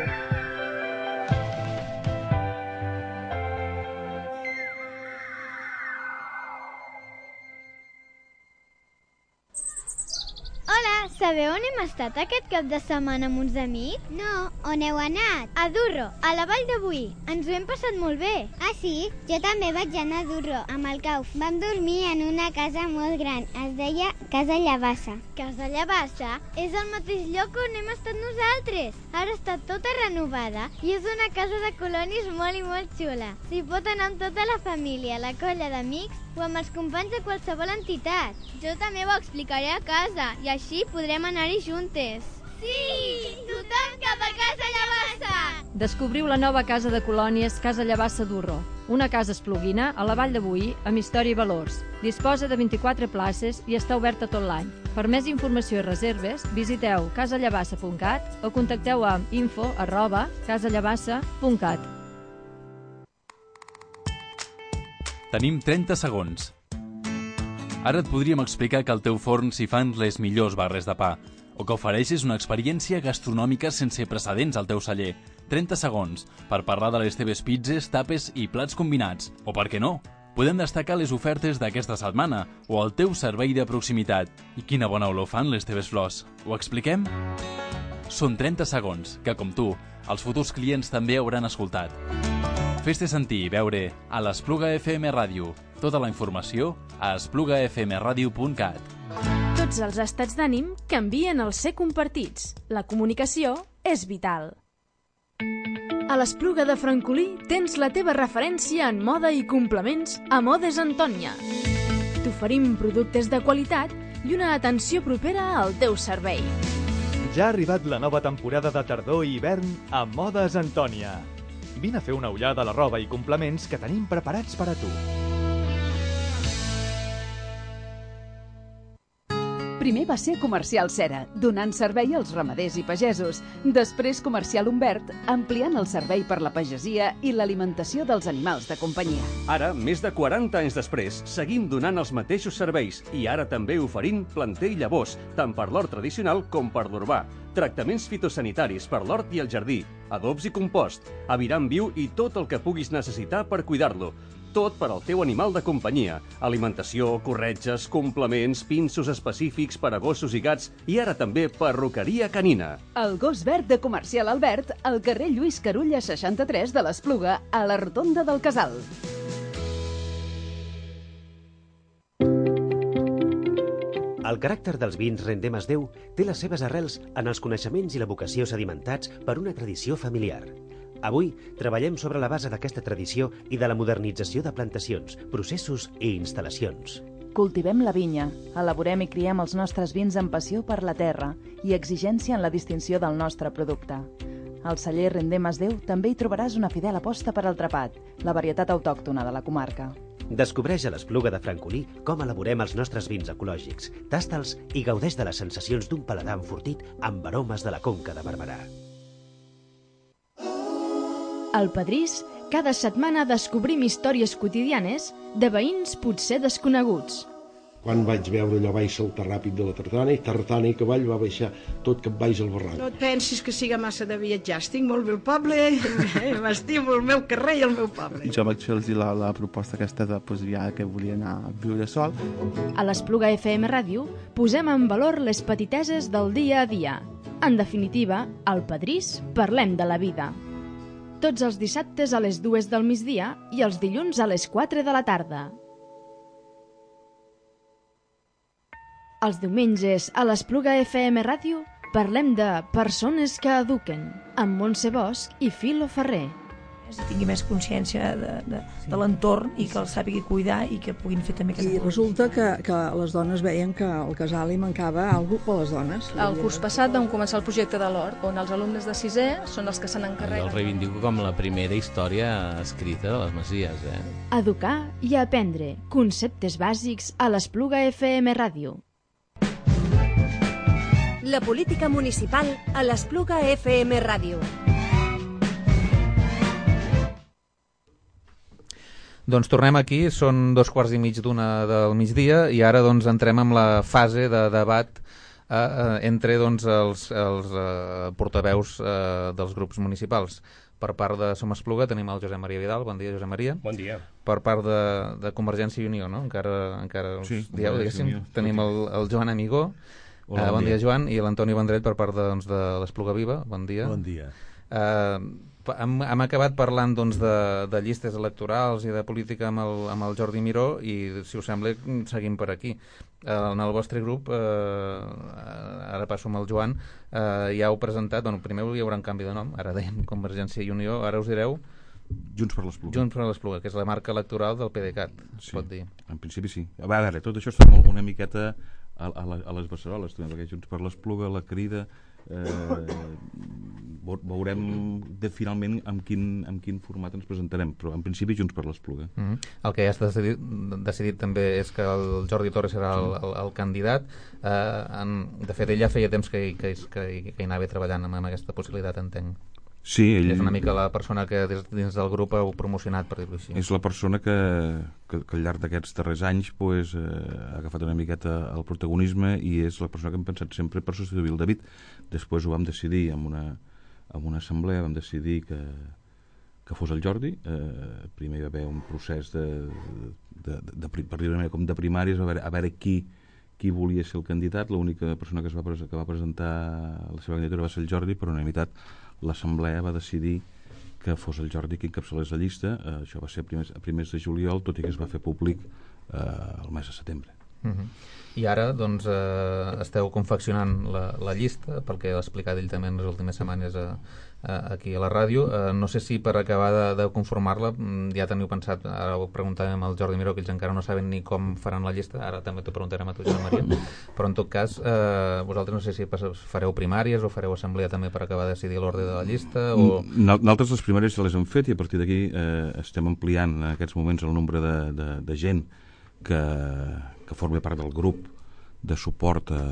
Hola, sabeu on hem estat aquest cap de setmana amb uns amics? No, on heu anat? A Durro, a la Vall de Boí. Ens ho hem passat molt bé. Ah, sí? Jo també vaig anar a Durro, amb el Cauf. Vam dormir en una casa molt gran. Es deia Casa Llavassa. Casa Llavassa és el mateix lloc on hem estat nosaltres. Ara està tota renovada i és una casa de colonis molt i molt xula. S'hi pot anar amb tota la família, la colla d'amics o amb els companys de qualsevol entitat. Jo també ho explicaré a casa i així podrem anar-hi juntes. Sí! Tothom cap a Casa Llavassa! Descobriu la nova casa de colònies Casa Llavassa Durro, una casa espluguina a la Vall de Boí amb història i valors. Disposa de vint-i-quatre places i està oberta tot l'any. Per més informació i reserves, visiteu casa llavassa punt cat o contacteu amb info arroba casallavassa punt cat. Tenim trenta segons. Ara et podríem explicar que al teu forn s'hi fan les millors barres de pa, o que ofereixes una experiència gastronòmica sense precedents al teu celler. trenta segons per parlar de les teves pizzas, tapes i plats combinats. O per què no? Podem destacar les ofertes d'aquesta setmana o el teu servei de proximitat. I quina bona olor fan les teves flors. Ho expliquem? Són trenta segons que, com tu, els futurs clients també hauran escoltat. Fes-te sentir i veure a l'Espluga F M Ràdio. Tota la informació a espluga f m radio punt cat. Tots els estats d'ànim canvien al ser compartits. La comunicació és vital. A l'Espluga de Francolí tens la teva referència en moda i complements a Modes Antònia. T'oferim productes de qualitat i una atenció propera al teu servei. Ja ha arribat la nova temporada de tardor i hivern a Modes Antònia. Vine a fer una ullada a la roba i complements que tenim preparats per a tu. Primer va ser Comercial Cera, donant servei als ramaders i pagesos. Després Comercial Humbert, ampliant el servei per la pagesia i l'alimentació dels animals de companyia. Ara, més de quaranta anys després, seguim donant els mateixos serveis i ara també oferint planter i llavors, tant per l'hort tradicional com per l'urbà. Tractaments fitosanitaris per l'hort i el jardí, adobs i compost, aviram viu i tot el que puguis necessitar per cuidar-lo. Tot per al teu animal de companyia. Alimentació, corretges, complements, pinços específics per a gossos i gats i ara també perruqueria canina. El gos verd de Comercial Albert, al carrer Lluís Carulla seixanta-tres de l'Espluga, a la rotonda del Casal. El caràcter dels vins Rendem es Déu té les seves arrels en els coneixements i la vocació sedimentats per una tradició familiar. Avui treballem sobre la base d'aquesta tradició i de la modernització de plantacions, processos i instal·lacions. Cultivem la vinya, elaborem i criem els nostres vins amb passió per la terra i exigència en la distinció del nostre producte. Al celler Rendem es Déu també hi trobaràs una fidel aposta per al trapat, la varietat autòctona de la comarca. Descobreix a l'Espluga de Francolí com elaborem els nostres vins ecològics, tasta'ls i gaudeix de les sensacions d'un paladar enfortit amb aromes de la Conca de Barberà. Al Pedrís, cada setmana descobrim històries quotidianes de veïns potser desconeguts. Quan vaig veure allò baix saltar ràpid de la tartana i tartana i cavall va baixar tot cap baix al barranc. No et pensis que siga massa de viatjar, estic molt bé al poble, m'estimo el meu carrer i el meu poble. Jo vaig fer-los la, la proposta aquesta de pues, ja, que volia anar a viure sol. A l'Espluga F M Ràdio posem en valor les petiteses del dia a dia. En definitiva, al Pedrís parlem de la vida. Tots els dissabtes a les dues del migdia i els dilluns a les quatre de la tarda. Els diumenges a l'Espluga F M Ràdio parlem de persones que eduquen, amb Montse Bosch i Filo Ferrer. i tingui més consciència de, de, de l'entorn i que el sàpiga cuidar i que puguin fer també aquesta I resulta que, que les dones veien que al casal hi mancava alguna cosa per les dones. El curs passat vam començar el projecte de l'Hort, on els alumnes de sisè són els que se n'encarreguen. Jo el reivindico com la primera història escrita de les Masies. Eh? Educar i aprendre. Conceptes bàsics a l'Espluga F M Ràdio. La política municipal a l'Espluga F M Ràdio. Doncs tornem aquí, són dos quarts i mig d'una del migdia i ara doncs entrem amb la fase de debat eh, eh, entre doncs, els, els eh, portaveus eh, dels grups municipals. Per part de Som Espluga tenim el Josep Maria Vidal. Bon dia, Josep Maria. Bon dia. Per part de, de Convergència i Unió, no? Encara, encara us sí, dieu, diguéssim. Tenim el, el Joan Amigó. Hola, eh, bon, bon dia. dia, Joan. I l'Antoni Vendrell per part de, doncs, de l'Espluga Viva. Bon dia. Bon dia. Eh, hem, hem acabat parlant doncs, de, de llistes electorals i de política amb el, amb el Jordi Miró i, si us sembla, seguim per aquí. Eh, en el vostre grup, eh, ara passo amb el Joan, eh, ja heu presentat, bueno, primer hi haurà un canvi de nom, ara dèiem Convergència i Unió, ara us direu Junts per l'Espluga. Junts per l'Espluga, que és la marca electoral del PDeCAT, es sí, pot dir. En principi sí. A veure, tot això està molt, una miqueta a, a, la, a les beceroles, perquè Junts per l'Espluga, la Crida, eh, veurem de, finalment amb quin, amb quin format ens presentarem, però en principi Junts per l'Espluga. Mm-hmm. El que ja està decidit, decidit també és que el Jordi Torres serà el, el, el candidat. Eh, en, de fet, ell ja feia temps que, que, que, que hi anava treballant amb, amb aquesta possibilitat, entenc. Sí, ell... És una mica la persona que des, dins del grup heu promocionat, per dir-ho així. És la persona que, que, que al llarg d'aquests darrers anys pues, eh, ha agafat una miqueta el protagonisme i és la persona que hem pensat sempre per substituir el David. Després ho vam decidir en una, en una assemblea, vam decidir que, que fos el Jordi. Eh, primer hi va haver un procés de, de, de, de, per dir-ho com de primàries, a veure, a veure qui, qui volia ser el candidat. L'única persona que, es va, que va presentar la seva candidatura va ser el Jordi, per unanimitat l'assemblea va decidir que fos el Jordi qui encapçalés la llista. Eh, això va ser a primers, a primers de juliol, tot i que es va fer públic eh, el mes de setembre. Uh-huh. I ara doncs eh, esteu confeccionant la, la llista, pel que ha explicat ell també en les últimes setmanes a, a, aquí a la ràdio. Eh, no sé si per acabar de, de conformar-la ja teniu pensat, ara ho preguntàvem al Jordi Miró, que ells encara no saben ni com faran la llista, ara també t'ho preguntarem a tu, Josep Maria, però en tot cas eh, vosaltres no sé si fareu primàries o fareu assemblea també per acabar de decidir l'ordre de la llista o... Nosaltres les primàries ja les hem fet i a partir d'aquí eh, estem ampliant en aquests moments el nombre de, de, de gent que, que forma part del grup de suport a,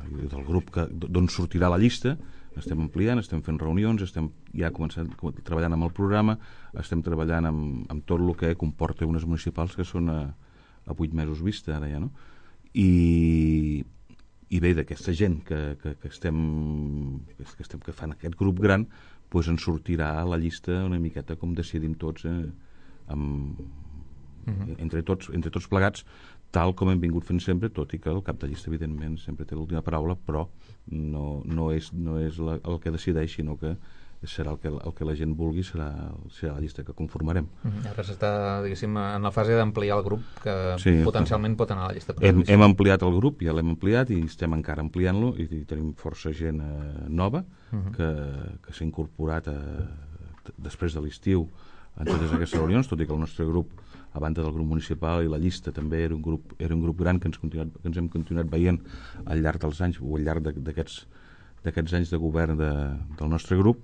del grup que, d'on sortirà la llista. Estem ampliant, estem fent reunions, estem ja començant treballant amb el programa, estem treballant amb, amb tot el que comporta unes municipals que són a, a vuit mesos vista ara ja, no? I, i bé, d'aquesta gent que, que, que, estem, que, estem, que fan aquest grup gran, doncs ens sortirà la llista una miqueta com decidim tots eh, amb, uh-huh. entre, tots, entre tots plegats, tal com hem vingut fent sempre, tot i que el cap de llista evidentment sempre té l'última paraula, però no, no és, no és la, el que decideix, sinó que serà el que, el que la gent vulgui, serà, serà la llista que conformarem. Uh-huh. Ara s'està, diguéssim, en la fase d'ampliar el grup, que sí, potencialment pot anar a la llista. Hem, hem ampliat el grup, ja l'hem ampliat i estem encara ampliant-lo i, i tenim força gent eh, nova uh-huh. que, que s'ha incorporat a, després de l'estiu en totes aquestes reunions, tot i que el nostre grup, a banda del grup municipal i la llista, també era un grup, era un grup gran que ens, continuat, que ens hem continuat veient al llarg dels anys o al llarg d'aquests d'aquests anys de govern de, del nostre grup,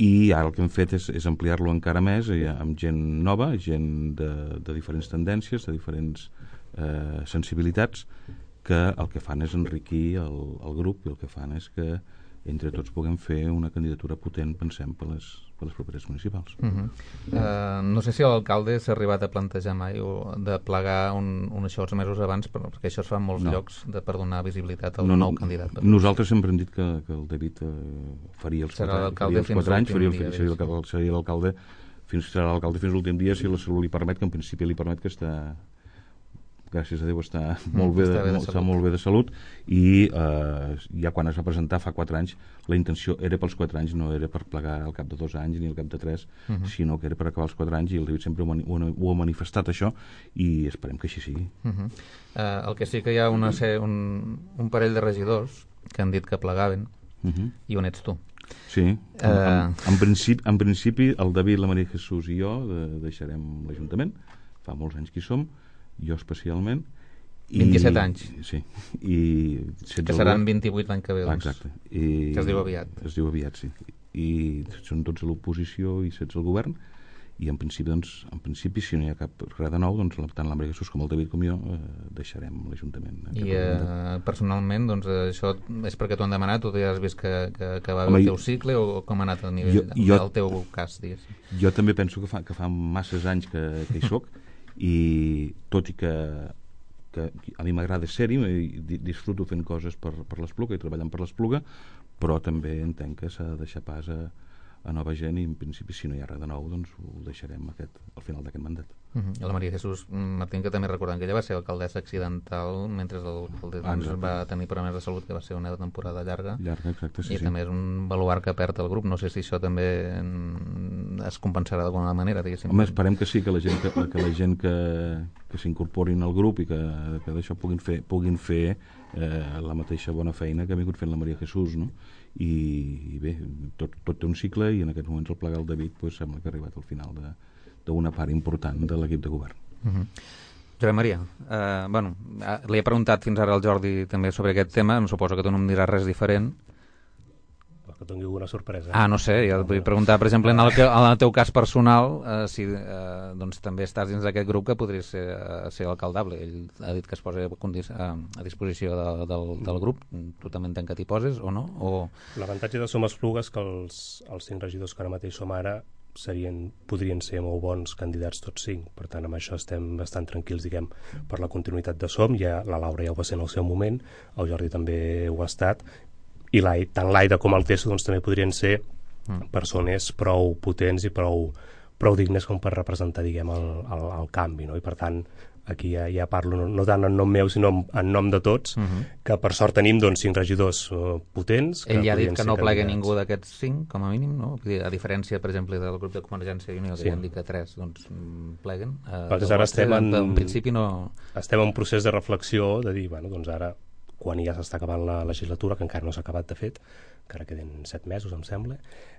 i ara el que hem fet és, és ampliar-lo encara més eh, amb gent nova, gent de, de diferents tendències, de diferents eh, sensibilitats, que el que fan és enriquir el, el grup i el que fan és que entre tots puguem fer una candidatura potent, pensem, per les, per les properes municipals. Uh-huh. uh, no sé si l'alcalde s'ha arribat a plantejar mai o de plegar un, un això els mesos abans, perquè això es fa en molts no. llocs de, per donar visibilitat al no, nou candidat. Per nosaltres sempre hem dit que, que el David eh, faria els serà quatre, faria els quatre anys, faria el, dia, seria, el, seria l'alcalde fins, serà l'alcalde fins l'últim dia, si la salut li permet, que en principi li permet, que està gràcies a Déu està molt bé, està bé, de, molt, està molt bé de salut, i eh, ja quan es va presentar fa quatre anys la intenció era pels quatre anys, no era per plegar al cap de dos anys ni al cap de tres, uh-huh. sinó que era per acabar els quatre anys, i el David sempre ho, ho, ho ha manifestat això, i esperem que així sigui. Uh-huh. uh, el que sí que hi ha una, un, un parell de regidors que han dit que plegaven, uh-huh. i on ets tu? Sí, en, en, en, principi, en principi el David, la Maria Jesús i jo de, deixarem l'Ajuntament, fa molts anys que hi som, jo especialment. vint-i-set anys. Sí. I que seran vint-i-vuit l'any que ve, doncs. Exacte. I, que es diu aviat. Es diu aviat, sí. I són tots a l'oposició i setze al govern, i en principi, doncs, en principi si no hi ha cap res de nou, doncs, tant la Maria Jesús com el David com jo eh, deixarem l'Ajuntament. I eh, personalment, doncs, això és perquè t'ho han demanat, o ja has vist que, que, que va haver el teu cicle, o com ha anat a nivell jo, jo, del teu cas, digues? Jo també penso que fa, que fa masses anys que, que hi soc, i tot i que, que a mi m'agrada ser-hi, disfruto fent coses per, per l'Espluga i treballant per l'Espluga, però també entenc que s'ha de deixar pas a a nova gent i en principi si no hi ha res de nou doncs ho deixarem aquest, al final d'aquest mandat. Uh-huh. I la Maria Jesús Martín, que també recordem que ella va ser alcaldessa accidental mentre el, el ah, va tenir problemes de salut, que va ser una temporada llarga, llarga exacte, sí, i sí. també és un baluart que perd el grup. No sé si això també es compensarà d'alguna manera, diguéssim. Home, esperem que sí, que la gent que, que, la gent que, que s'incorporin al grup i que, que d'això puguin fer, puguin fer eh, la mateixa bona feina que ha vingut fent la Maria Jesús, no? I, i bé, tot, tot té un cicle i en aquests moments el plegar el David pues, sembla que ha arribat al final d'una part important de l'equip de govern. Uh-huh. Josep Maria, eh, bueno, li he preguntat fins ara al Jordi també sobre aquest tema, em suposo que tu no em diràs res diferent. Que doni alguna sorpresa. Ah, no sé, jo et vull preguntar, per exemple, en el, que, en el teu cas personal, eh, si eh, doncs, també estàs dins d'aquest grup que podries ser, ser alcaldable. Ell ha dit que es posa a, a disposició de, del, del grup. Tu també entenc que t'hi poses, o no? O... L'avantatge de Som Esplugues que els, els cinc regidors que ara mateix som ara serien, podrien ser molt bons candidats tots cinc, per tant amb això estem bastant tranquils, diguem, per la continuïtat de Som. Ja, la Laura ja ho va ser en el seu moment, el Jordi també ho ha estat, i tant l'Aida com el Tesso doncs, també podrien ser mm. persones prou potents i prou, prou dignes com per representar, diguem, el, el, el canvi, no? I per tant aquí ja, ja parlo no, no tant en nom meu sinó en, en nom de tots, mm-hmm. que per sort tenim doncs, cinc regidors uh, potents. Ell ja ha dit que no plega ningú d'aquests cinc, com a mínim, no? A diferència, per exemple, del grup de Convergència i Unió, que sí. Ja han dit que tres doncs, pleguen. Uh, ara estem en, en principi no... estem en un procés de reflexió de dir, bueno, doncs ara quan ja s'està acabant la legislatura, que encara no s'ha acabat de fet, encara queden set mesos, em sembla,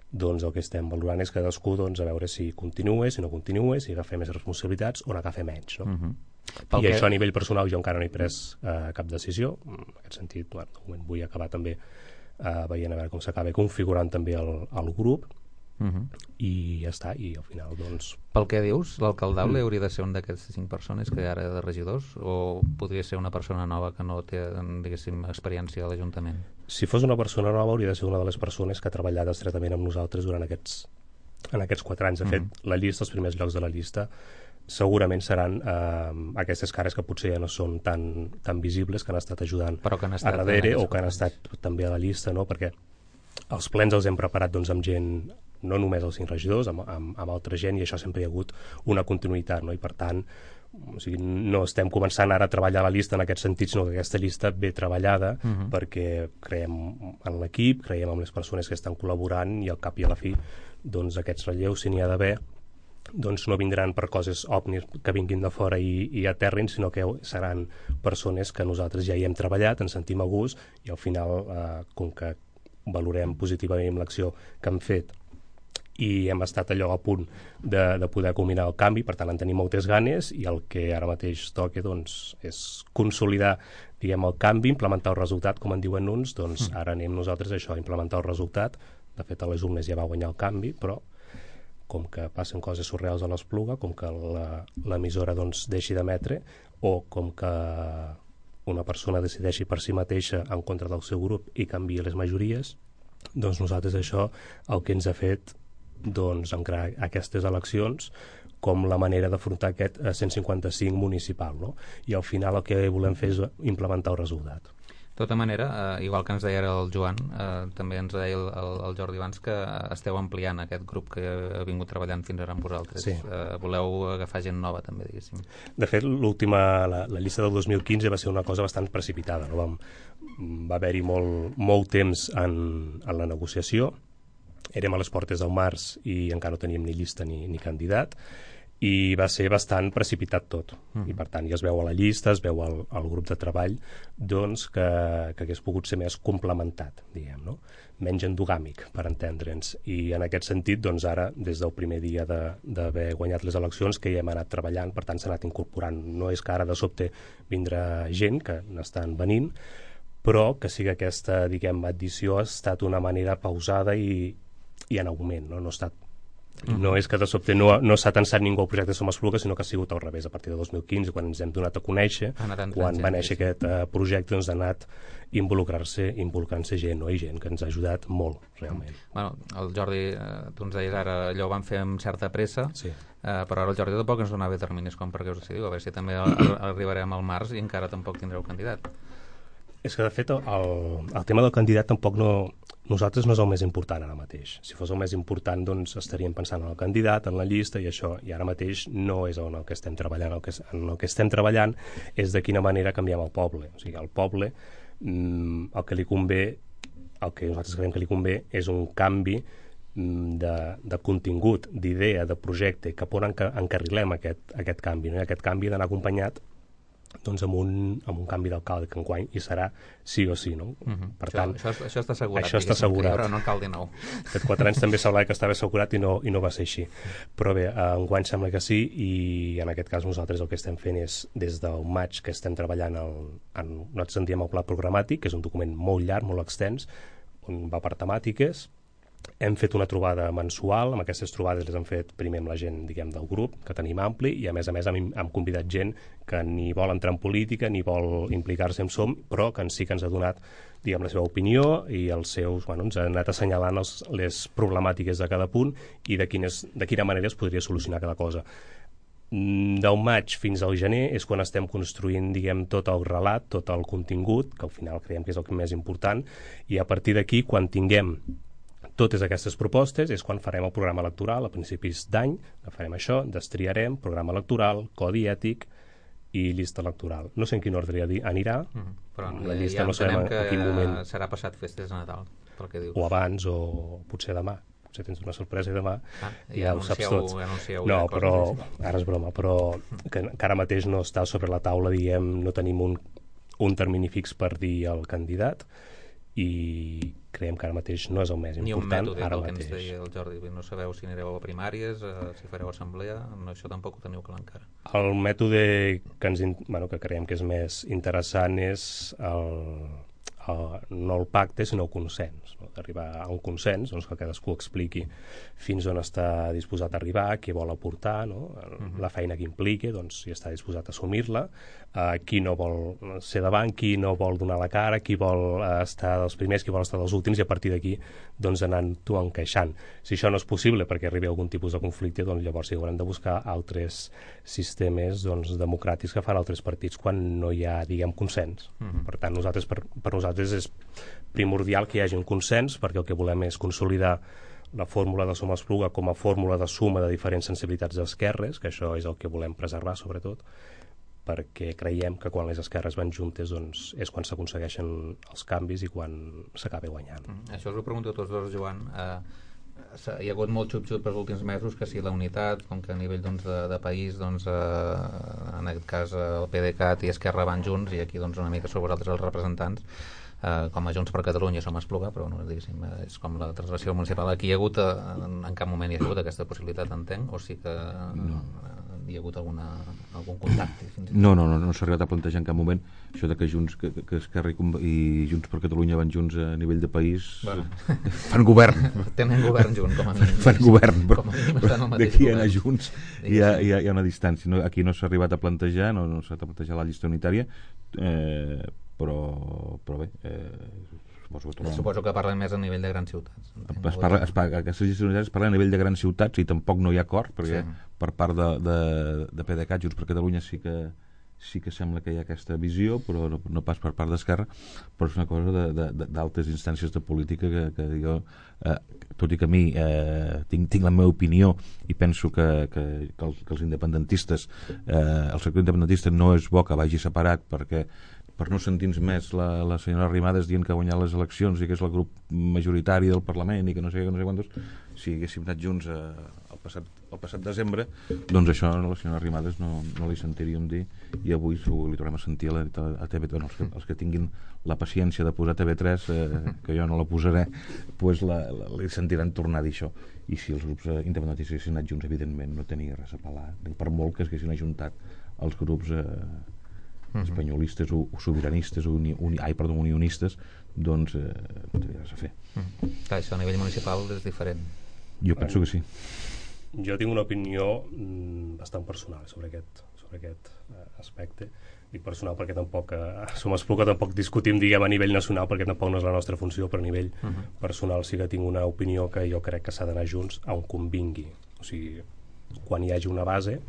doncs el que estem valorant és cadascú doncs, a veure si continua, si no continua, si agafa més responsabilitats o n'agafa menys. No? Uh-huh. I que... això a nivell personal jo encara no he pres eh, cap decisió. En aquest sentit, bueno, de moment vull acabar també eh, veient a veure com s'acaba configurant també el, el grup, uh-huh. i ja està, i al final doncs... Pel que dius, l'alcaldable mm. hauria de ser un d'aquestes cinc persones que ara de regidors, o podria ser una persona nova que no té, diguéssim, experiència a l'Ajuntament? Si fos una persona nova hauria de ser una de les persones que ha treballat estretament amb nosaltres durant aquests, en aquests quatre anys. De fet, mm. la llista, els primers llocs de la llista segurament seran eh, aquestes cares que potser ja no són tan, tan visibles, que han estat ajudant Però que han estat a darrere o que han estat també a la llista, no? Perquè els plens els hem preparat doncs, amb gent, no només els cinc regidors, amb, amb, amb altra gent, i això sempre hi ha hagut una continuïtat, no? I per tant, o sigui, no estem començant ara a treballar la llista en aquest sentit, sinó que aquesta llista ve treballada uh-huh. perquè creiem en l'equip, creiem en les persones que estan col·laborant, i al cap i a la fi doncs aquests relleus, si n'hi ha d'haver, doncs no vindran per coses òpnies que vinguin de fora i, i aterrin, sinó que seran persones que nosaltres ja hi hem treballat, ens sentim a gust, i al final, eh, com que valorem positivament l'acció que hem fet i hem estat allò a punt de, de poder culminar el canvi, per tant en tenim moltes ganes, i el que ara mateix toca doncs, és consolidar, diguem, el canvi, implementar el resultat, com en diuen uns, doncs mm. ara anem nosaltres a això, a implementar el resultat. De fet, a les urnes ja va guanyar el canvi, però com que passen coses surreals a l'Espluga, com que l'emissora doncs, deixi d'emetre, o com que una persona decideixi per si mateixa en contra del seu grup i canvia les majories, doncs nosaltres això el que ens ha fet doncs, encarar aquestes eleccions com la manera d'afrontar aquest cent cinquanta-cinc municipal, no? I al final el que volem fer és implementar el resultat. De tota manera, eh, igual que ens deia el Joan, eh, també ens deia el, el, el Jordi abans que esteu ampliant aquest grup que ha vingut treballant fins ara amb vosaltres. Sí. Eh, voleu agafar gent nova també, diguéssim. De fet, l'última, la, la llista del dos mil quinze va ser una cosa bastant precipitada, no? Vam, va haver-hi molt, molt temps en, en la negociació, érem a les portes del març i encara no teníem ni llista ni, ni candidat, i va ser bastant precipitat tot. Mm. I per tant ja es veu a la llista, es veu al, al grup de treball, doncs que, que hagués pogut ser més complementat, diguem, no? Menys endogàmic, per entendre'ns. I en aquest sentit, doncs ara, des del primer dia d'haver guanyat les eleccions, que hi hem anat treballant, per tant s'ha anat incorporant. No és que ara de sobte vindrà gent, que n'estan venint, però que sí que aquesta, diguem, addició ha estat una manera pausada i, i en augment, no? No ha estat No és que de sobte no, no s'ha tensat ningú al projecte Som Espluga, sinó que ha sigut al revés. A partir de dos mil quinze, quan ens hem donat a conèixer, quan va néixer aquest uh, projecte, doncs ha anat involucrar-se involucrant-se gent, no? I gent que ens ha ajudat molt, realment. Bueno, el Jordi, eh, tu ens deies ara, allò ho van fer amb certa pressa, sí. eh, però ara el Jordi tampoc ens donava terminis com perquè us decidiu, a veure si també arribarem al març i encara tampoc tindreu candidat. És que, de fet, el, el tema del candidat tampoc no... Nosaltres no és el més important ara mateix. Si fos el més important, doncs estaríem pensant en el candidat, en la llista i això, i ara mateix no és en el que estem treballant. El que, en el que estem treballant és de quina manera canviem el poble. O sigui, al poble mmm, el que li convé, el que nosaltres creiem que li convé és un canvi mmm, de, de contingut, d'idea, de projecte, cap on enca encarrilem aquest, aquest canvi. No? I aquest canvi ha d'anar acompanyat doncs amb un, amb un canvi d'alcalde que enguany hi serà sí o sí, no? Uh-huh. Per això, tant, això, això està assegurat, això està assegurat. Però no cal de nou. Fet quatre anys també semblava que estava assegurat i no, i no va ser així. Però bé, enguany sembla que sí, i en aquest cas nosaltres el que estem fent és, des del maig que estem treballant el, en, nosaltres en diem el pla programàtic, que és un document molt llarg, molt extens, on va per temàtiques. Hem fet una trobada mensual, amb aquestes trobades les hem fet primer amb la gent, diguem, del grup, que tenim ampli, i a més a més hem, hem convidat gent que ni vol entrar en política ni vol implicar-se en Som, però que en sí que ens ha donat, diguem, la seva opinió i els seus, bueno, ens ha anat assenyalant els, les problemàtiques de cada punt i de, quines, de quina manera es podria solucionar cada cosa. Del maig fins al gener és quan estem construint, diguem, tot el relat, tot el contingut, que al final creiem que és el més important, i a partir d'aquí, quan tinguem totes aquestes propostes, és quan farem el programa electoral a principis d'any, farem això, destriarem programa electoral, codi ètic i llista electoral. No sé en quin ordre anirà, mm, però la llista ja no sabem que a quin moment. Serà passat festes de Nadal, pel que dius. O abans, o potser demà. Potser tens una sorpresa i demà ah, ja, ja ho saps tot. Anuncieu no, però, ara és broma, però que, que ara mateix no està sobre la taula, diguem, no tenim un, un termini fix per dir el candidat, i creiem que ara mateix no és el més important. Ni un mètode, ara el que mateix. ens deia el Jordi. No sabeu si anireu a primàries, eh, si fareu assemblea, no, això tampoc ho teniu clar encara. El mètode que, ens, bueno, que creiem que és més interessant és el, el, no el pacte, sinó el consens. No? D'arribar a un consens, doncs que cadascú expliqui fins on està disposat a arribar, què vol aportar, no? Uh-huh. La feina que impliqui, doncs, si està disposat a assumir-la, uh, qui no vol ser davant, qui no vol donar la cara, qui vol uh, estar dels primers, qui vol estar dels últims, i a partir d'aquí doncs, anant-ho encaixant. Si això no és possible perquè arribi a algun tipus de conflicte, doncs llavors sí, haurem de buscar altres sistemes doncs, democràtics que fan altres partits quan no hi ha, diguem, consens. Uh-huh. Per tant, nosaltres, per, per nosaltres és primordial que hi hagi un consens, perquè el que volem és consolidar la fórmula de Som Espluga com a fórmula de suma de diferents sensibilitats d'esquerres, que això és el que volem preservar, sobretot, perquè creiem que quan les esquerres van juntes doncs, és quan s'aconsegueixen els canvis i quan s'acaba guanyant. Mm, això us ho pregunto a tots dos, Joan. Eh, hi ha hagut molt xup-xup pels últims mesos, que si la unitat, com que a nivell doncs, de, de país, doncs, eh, en aquest cas el PDeCAT i Esquerra van junts, i aquí doncs, una mica sou vosaltres els representants, Uh, com a Junts per Catalunya Som Espluga, però no, diguéssim, és com la translació municipal. Aquí hi ha hagut, uh, en, en cap moment hi ha hagut aquesta possibilitat, entenc, o sí que uh, no. hi ha hagut alguna, algun contacte? Fins no, no, no, no s'ha arribat a plantejar en cap moment això de que Junts, que, que Esquerra i, i Junts per Catalunya van junts a nivell de país. Bueno. Fan govern. Tenen govern junts, com a mínim. Fan govern, però, però d'aquí a anar junts hi ha, hi, ha, hi ha una distància. No, aquí no s'ha arribat a plantejar, no, no s'ha arribat a plantejar la llista unitària, eh, però, però bé, eh, suposo que tornem... Suposo que parlen més a nivell de grans ciutats. Es parla, es parla, aquestes llistes unitàries es parla a nivell de grans ciutats i tampoc no hi ha acord, perquè sí. Per part de, de, de PDeCAT, Junts per Catalunya sí que, sí que sembla que hi ha aquesta visió, però no, no pas per part d'Esquerra, però és una cosa d'altes instàncies de política que, que jo, eh, tot i que a mi eh, tinc, tinc la meva opinió i penso que, que, que, els, que els independentistes, eh, el sector independentista no és bo que vagi separat, perquè per no sentir-nos més la, la senyora Arrimadas dient que ha guanyat les eleccions i que és el grup majoritari del Parlament i que no sé què, no sé quantos, si haguéssim anat junts a, al passat, el passat desembre, doncs això a la senyora Arrimadas no, no li sentiríem dir, i avui li tornem a sentir a, la, a T V tres, bueno, els, que, els que tinguin la paciència de posar T V tres, eh, que jo no la posaré, pues la, la, li sentiran tornar a dir això. I si els grups eh, independentistes haguessin anat junts, evidentment no tenia res a pelar, per molt que es haguessin ajuntat els grups eh, espanyolistes o, o sobiranistes o uni, uni, ai, perdó, unionistes, doncs eh, no tenia res a fer. Mm. Clar, això a nivell municipal és diferent. Jo penso que sí. Jo tinc una opinió mm, bastant personal sobre aquest, sobre aquest eh, aspecte. Dic personal perquè tampoc eh, som Espluga, tampoc discutim, diguem, a nivell nacional, perquè tampoc no és la nostra funció, però a nivell uh -huh. personal sí que tinc una opinió que jo crec que s'ha d'anar junts a on convingui. O sigui, quan hi hagi una base,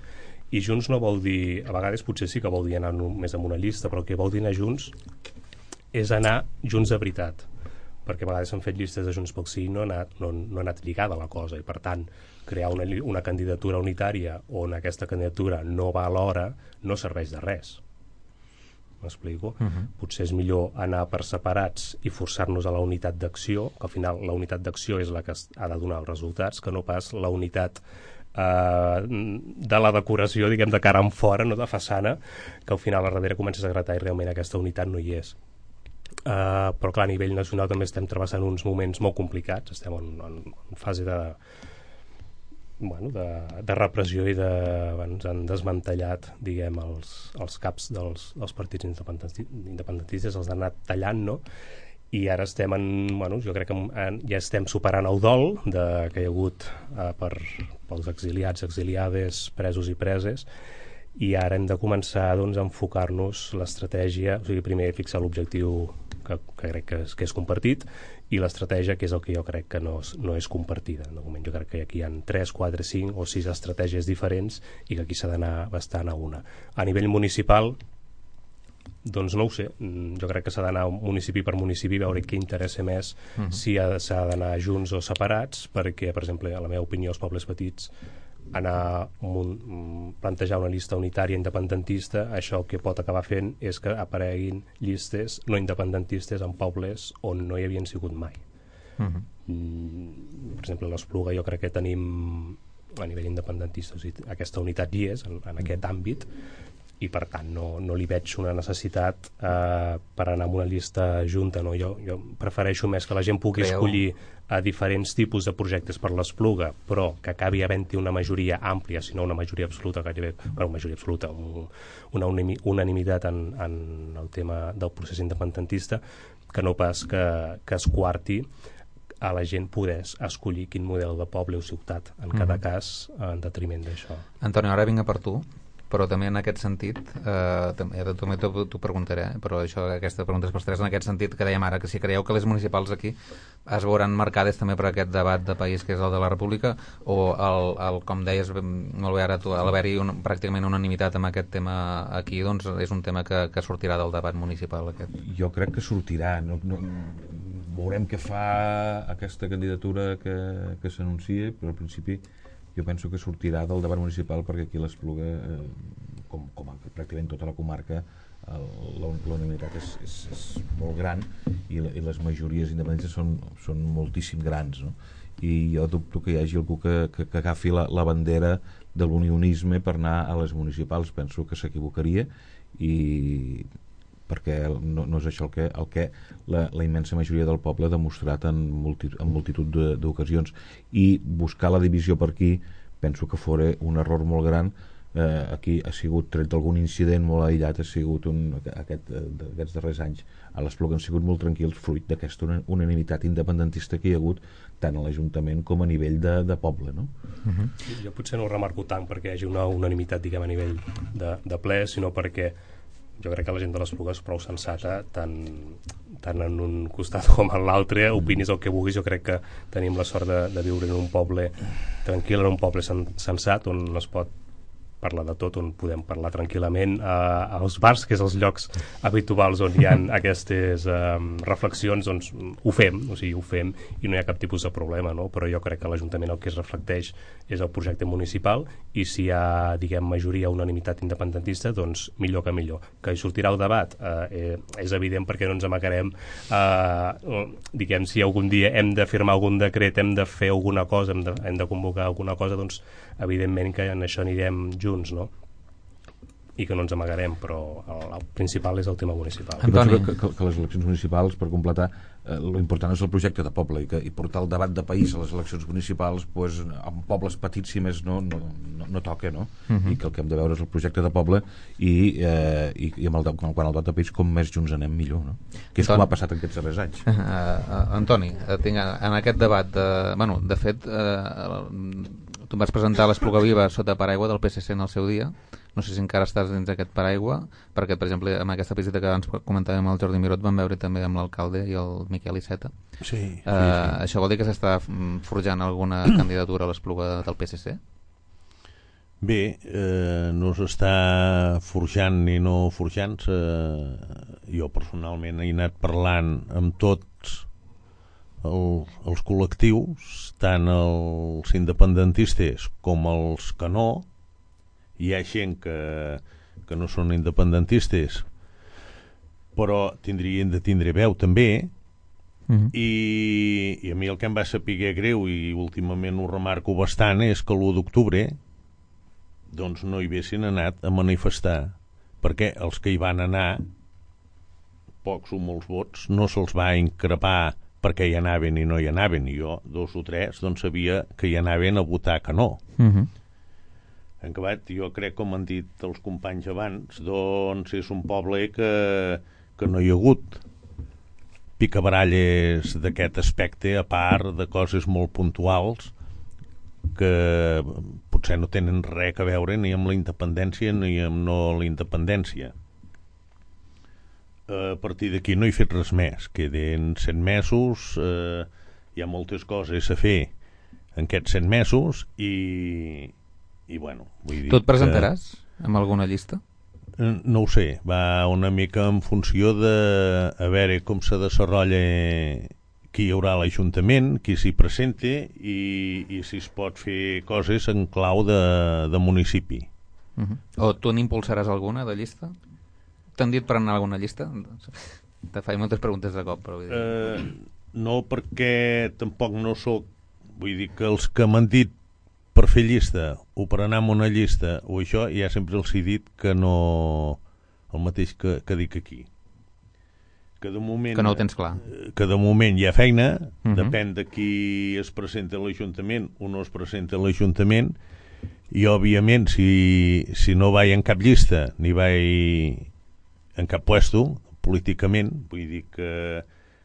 i junts no vol dir, a vegades potser sí que vol dir anar només amb una llista, però el que vol dir anar junts és anar junts de veritat, perquè a vegades s'han fet llistes de Junts pel Sí i no ha anat, no, no ha anat lligada la cosa, i per tant crear una, una candidatura unitària on aquesta candidatura no va alhora no serveix de res. M'explico? Uh -huh. Potser és millor anar per separats i forçar-nos a la unitat d'acció, que al final la unitat d'acció és la que ha de donar els resultats, que no pas la unitat eh, de la decoració, diguem, de cara en fora, no de façana, que al final a darrere comences a gratar i realment aquesta unitat no hi és. Uh, però clar, a nivell nacional també estem travessant uns moments molt complicats, estem en, en fase de bueno, de, de repressió i de, ens han desmantellat, diguem, els, els caps dels, dels partits independentistes, els han anat tallant, no? I ara estem en, bueno, jo crec que en, ja estem superant el dol de, que hi ha hagut uh, per, pels exiliats, exiliades, presos i preses, i ara hem de començar, doncs, a enfocar-nos l'estratègia, o sigui, primer fixar l'objectiu que, que crec que és, que és compartit, i l'estratègia, que és el que jo crec que no és, no és compartida. De moment jo crec que aquí hi ha tres, quatre, cinc o sis estratègies diferents i que aquí s'ha d'anar bastant a una. A nivell municipal, doncs no ho sé, jo crec que s'ha d'anar municipi per municipi, veure què interessa més, uh-huh. si s'ha d'anar junts o separats, perquè, per exemple, a la meva opinió, els pobles petits, anar un, plantejar una llista unitària independentista, això el que pot acabar fent és que apareguin llistes no independentistes en pobles on no hi havien sigut mai. Uh-huh. mm, per exemple, a l'Espluga jo crec que tenim a nivell independentista, o sigui, aquesta unitat hi és en, en aquest àmbit, i per tant no, no li veig una necessitat eh, per anar amb una llista junta, no? jo, jo prefereixo més que la gent pugui Creu. escollir a diferents tipus de projectes per l'Espluga, però que acabi havent-hi una majoria àmplia, si no una majoria absoluta, gairebé, bueno, majoria absoluta, un, una unanimitat en, en el tema del procés independentista, que no pas que, que es quarti a la gent poder escollir quin model de poble o ciutat, en cada mm. cas, en detriment d'això. Antonio, ara vinc per tu, però també en aquest sentit, eh, també t'ho preguntaré, però això, aquesta pregunta és pels tres, en aquest sentit que dèiem ara, que si creieu que les municipals aquí es veuran marcades també per aquest debat de país que és el de la República, o el, el com deies molt bé ara tu, al haver-hi un, pràcticament unanimitat amb aquest tema aquí, doncs és un tema que, que sortirà del debat municipal aquest. Jo crec que sortirà, no, no, veurem què fa aquesta candidatura que, que s'anuncia, però al principi jo penso que sortirà del debat municipal, perquè aquí l'Espluga, eh, com, com pràcticament tota la comarca, la unanimitat és, és, és molt gran i, i les majories independentistes són, són moltíssim grans, no? I jo dubto que hi hagi algú que, que, que agafi la, la bandera de l'unionisme per anar a les municipals. Penso que s'equivocaria, i perquè no, no és això el que, el que la, la immensa majoria del poble ha demostrat en, multi, en multitud d'ocasions, i buscar la divisió per aquí penso que fora un error molt gran. Eh, aquí ha sigut, tret d'algun incident molt aïllat, ha sigut un, aquest, aquests darrers anys a l'Espluga han sigut molt tranquils, fruit d'aquesta unanimitat independentista que hi ha hagut tant a l'Ajuntament com a nivell de, de poble, no? Uh-huh. Jo potser no ho remarco tant perquè hi hagi una unanimitat, diguem, a nivell de, de ple, sinó perquè jo crec que la gent de l'Espluga és prou sensata, tant, tant en un costat com en l'altre, opinis el que vulguis. Jo crec que tenim la sort de, de viure en un poble tranquil, en un poble sen, sensat, on es pot parla de tot, on podem parlar tranquil·lament, eh, als bars, que és els llocs habituals on hi ha aquestes eh, reflexions, doncs ho fem, o sigui, ho fem i no hi ha cap tipus de problema, no? Però jo crec que l'Ajuntament el que es reflecteix és el projecte municipal i si hi ha, diguem, majoria o unanimitat independentista, doncs millor que millor. Que hi sortirà el debat, eh, és evident perquè no ens amagarem, eh, diguem, si algun dia hem de firmar algun decret, hem de fer alguna cosa, hem de, hem de convocar alguna cosa, doncs evidentment que en això anirem junts, no? I que no ens amagarem, però el, el principal és el tema municipal. Antoni. Que, que, que les eleccions municipals, per completar, eh, l'important és el projecte de poble i, que, i portar el debat de país a les eleccions municipals, pues, en pobles petits, si més no, no, no, no toca, no? Uh-huh. I que el que hem de veure és el projecte de poble i, eh, i, i amb el, quan el debat de país, com més junts anem millor, no? Que és Antoni. Com ha passat en aquests darrers anys. Uh, uh, Antoni, tinc, en aquest debat, de, bueno, de fet, uh, tu em vas presentar l'Espluga Viva sota paraigua del P S C en el seu dia. No sé si encara estàs dins d'aquest paraigua, perquè, per exemple, amb aquesta visita que abans comentàvem amb el Jordi Miró, vam veure també amb l'alcalde i el Miquel Iceta. Sí, sí, uh, sí. Això vol dir que s'està forjant alguna candidatura a l'Espluga del P S C? Bé, eh, no s'està forjant ni no forjant-se. Jo personalment he anat parlant amb tots el, els col·lectius, tant els independentistes com els que no. Hi ha gent que, que no són independentistes, però tindrien de tindre veu també. Uh-huh. I, i a mi el que em va saber greu, i últimament ho remarco bastant, és que l'u d'octubre doncs no hi haguessin anat a manifestar, perquè els que hi van anar, pocs o molts vots, no se'ls va increpar perquè hi anaven i no hi anaven. I jo, dos o tres, doncs sabia que hi anaven a votar que no. Uh-huh. En acabat, jo crec, com han dit els companys abans, doncs és un poble que, que no hi ha hagut picabaralles d'aquest aspecte, a part de coses molt puntuals que potser no tenen res a veure ni amb la independència ni amb no la independència. A partir d'aquí no he fet res més. Queden set mesos, eh, hi ha moltes coses a fer en aquests set mesos i... i bueno, vull dir tu et presentaràs que... amb alguna llista? No ho sé, va una mica en funció de a veure com se desenvolupa qui hi haurà a l'Ajuntament, qui s'hi presenta i, i si es pot fer coses en clau de, de municipi. Uh-huh. O tu n'impulsaràs alguna de llista? T'han dit per anar a alguna llista? Te faig moltes preguntes de cop, però vull dir... Uh, no, perquè tampoc no sóc, vull dir que els que m'han dit per fer llista o per anar amb una llista o això, ja sempre els he dit que no el mateix que, que dic aquí, que de moment que no ho tens clar, que de moment hi ha feina. Uh-huh. Depèn de qui es presenta a l'Ajuntament o no es presenta a l'Ajuntament, i òbviament si, si no vaig en cap llista ni vaig en cap puesto políticament, vull dir que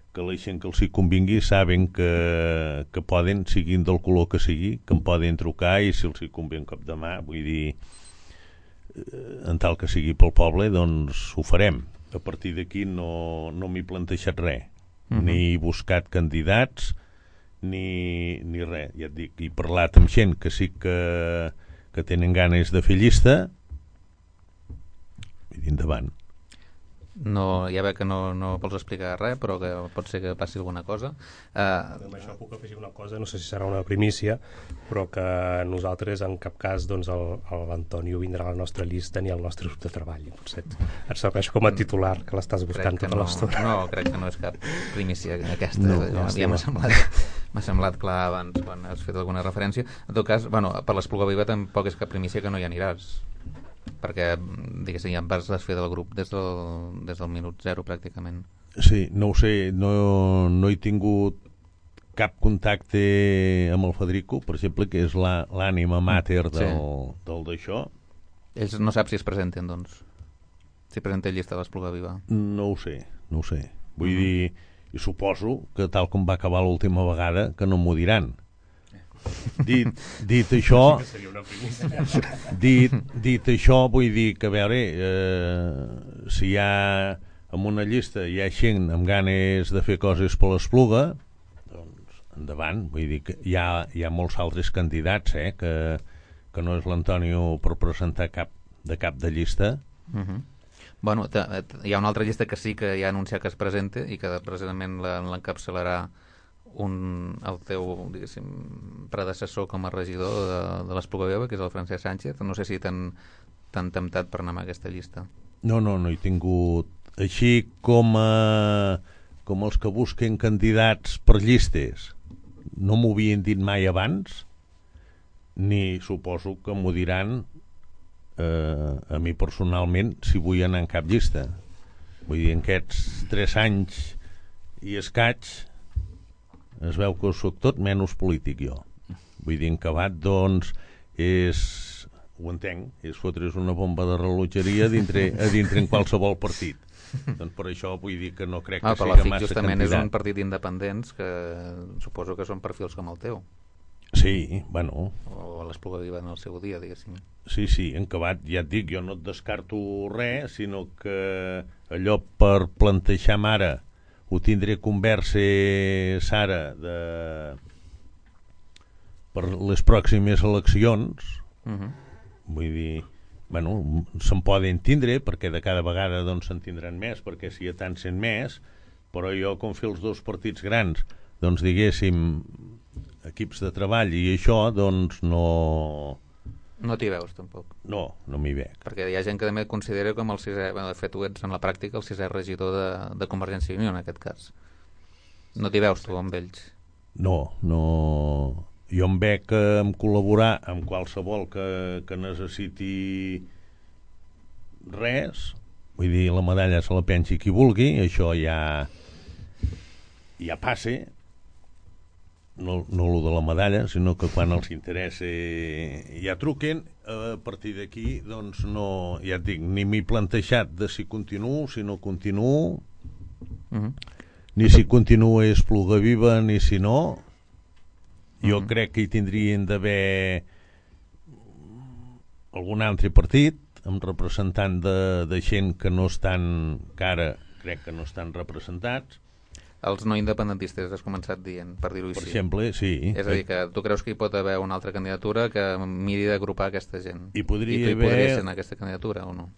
que la gent que els hi convingui saben que, que poden, siguin del color que sigui, que em poden trucar i si els hi convé un cop de mà, vull dir, en tal que sigui pel poble, doncs ho farem. A partir d'aquí no, no m'he plantejat res, uh-huh. ni he buscat candidats, ni, ni res. Ja et dic, he parlat amb gent que sí que, que tenen ganes de fer llista, i endavant. No, ja veig que no, no vols explicar res, però que pot ser que passi alguna cosa. Uh... Amb això puc afegir una cosa, no sé si serà una primícia, però que nosaltres en cap cas doncs, l'Antonio vindrà a la nostra llista ni al nostre grup de treball. Potser et serveix com a titular, que l'estàs buscant tota no, l'estona. No, crec que no és cap primícia aquesta. No, ja ja m'ha semblat, m'ha semblat clar abans quan has fet alguna referència. En tot cas, bueno, per l'Espluga Viva tampoc és cap primícia que no hi aniràs, perquè, diguéssim, ja em vas desfer del grup des del, des del minut zero, pràcticament. Sí, no ho sé, no, no he tingut cap contacte amb el Federico, per exemple, que és l'ànima mater del, sí. del d'això. Ells no sap si es presenten, doncs? Si presenten llista de l'Espluga Viva? No ho sé, no ho sé. Vull uh-huh. dir, i suposo que tal com va acabar l'última vegada, que no m'ho diran. Dit, dit això dit, dit això vull dir que a veure eh, si hi ha en una llista hi ha gent amb ganes de fer coses per l'Espluga, doncs endavant. Vull dir que hi ha, hi ha molts altres candidats eh, que, que no és l'Antonio per presentar cap de cap de llista. Uh-huh. Bueno, hi ha una altra llista que sí que ja ha anunciat que es presenta i que precisament l'encapçalarà un, el teu, diguéssim, predecessor com a regidor de, de l'Espluga Viva, que és el Francesc Sánchez. No sé si t'han temptat per anar amb aquesta llista. No, no, no he tingut... Així com, a, com els que busquen candidats per llistes, no m'ho havien dit mai abans, ni suposo que m'ho diran eh, a mi personalment si vull anar en cap llista. Vull dir, en aquests tres anys i escaig es veu que soc tot menys polític jo. Vull dir, en acabat, doncs, és, ho entenc, és fotre's una bomba de rellotgeria a dintre, a dintre en qualsevol partit. Doncs per això vull dir que no crec que ah, sigui massa candidat. Justament és un partit d'independents que suposo que són perfils com el teu. Sí, bueno. O l'Espluga Viva en el seu dia, diguéssim. Sí, sí, en acabat, ja et dic, jo no et descarto res, sinó que allò per plantejar mare ho tindré conversa, Sara, de... per les pròximes eleccions. Uh-huh. Vull dir, bueno, se'n poden tindre, perquè de cada vegada doncs se'n tindran més, perquè si hi ha tant cent més, però jo, com fer els dos partits grans, doncs diguéssim, equips de treball i això, doncs no... No t'hi veus, tampoc. No, no m'hi veig. Perquè hi ha gent que també et considera com el sisè, bueno, de fet tu ets en la pràctica el sisè regidor de, de Convergència i Unió, en aquest cas. No t'hi veus tu amb ells? No, no... Jo em veig en col·laborar amb qualsevol que, que necessiti res, vull dir, la medalla se la pensi qui vulgui, això ja ja passa, no, no lo de la medalla, sinó que quan els interessa ja truquen. A partir d'aquí, doncs no, ja et dic, ni m'he plantejat de si continuo, si no continuo, uh-huh. ni si continuo Espluga Viva, ni si no. Jo uh-huh. crec que hi tindrien d'haver algun altre partit amb representant de, de gent que no estan, que ara crec que no estan representats. Els no independentistes, has començat dient, per dir-ho així. Per exemple, sí. És a dir, que tu creus que hi pot haver una altra candidatura que miri d'agrupar aquesta gent? I podria I tu hi haver... podries ser en aquesta candidatura o no?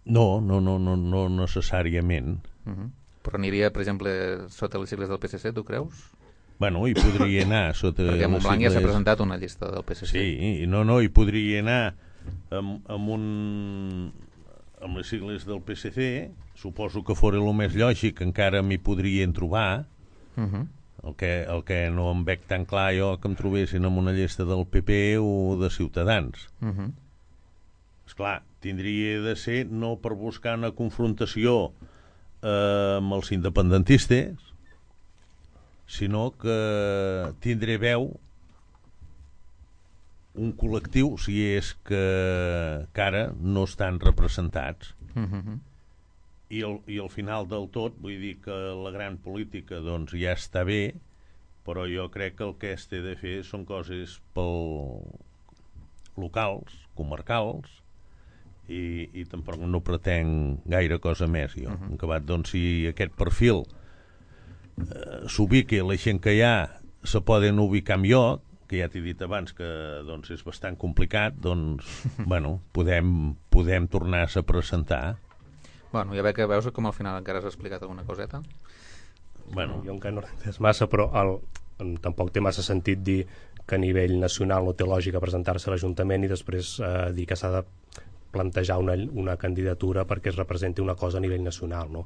No, no, no, no, no necessàriament. Uh-huh. Però aniria, per exemple, sota les sigles del P S C, tu creus? Bueno, hi podria anar sota... Perquè Montblanc ja s'ha presentat una llista del P S C. Sí, no, no, hi podria anar amb, amb un... amb les sigles del P S C, suposo que fora el més lògic, encara m'hi podrien trobar. Uh-huh. el, que, el que no em veig tan clar jo que em trobessin amb una llista del P P o de Ciutadans. Uh-huh. Esclar, tindria de ser no per buscar una confrontació eh, amb els independentistes, sinó que tindré veu un col·lectiu, si és que, que ara no estan representats. Uh-huh. I, el, I al final del tot, vull dir que la gran política doncs ja està bé, però jo crec que el que es té de fer són coses pel locals, comarcals, i, i tampoc no pretenc gaire cosa més jo. Uh-huh. En acabat, doncs, si aquest perfil eh, s'ubica, la gent que hi ha se poden ubicar amb jo, que ja t'he dit abans que doncs, és bastant complicat, doncs, bueno, podem, podem tornar-se a presentar. Bueno, ja veig que veus com al final encara has explicat alguna coseta. Bueno, jo encara no l'he entès massa, però el, tampoc té massa sentit dir que a nivell nacional no té lògica presentar-se a l'Ajuntament i després eh, dir que s'ha de plantejar una, una candidatura perquè es representi una cosa a nivell nacional, no?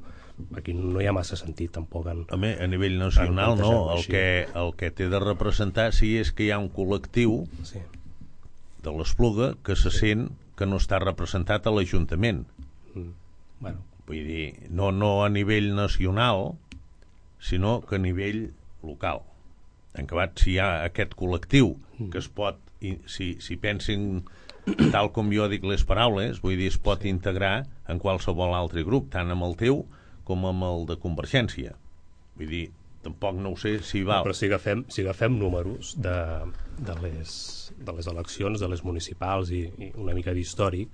Aquí no hi ha massa sentit tampoc en, a, mi, a nivell nacional no, el que, el que té de representar si és que hi ha un col·lectiu sí. de l'Espluga que se sí. sent que no està representat a l'Ajuntament. Mm. Bueno. Vull dir, no, no a nivell nacional, sinó que a nivell local. En acabat, si hi ha aquest col·lectiu mm. que es pot, si, si pensin tal com jo dic les paraules, vull dir, es pot sí. integrar en qualsevol altre grup, tant amb el teu com amb el de Convergència. Vull dir, tampoc no ho sé si val. Però si agafem, si agafem números de, de, les, de les eleccions, de les municipals i, i una mica d'històric,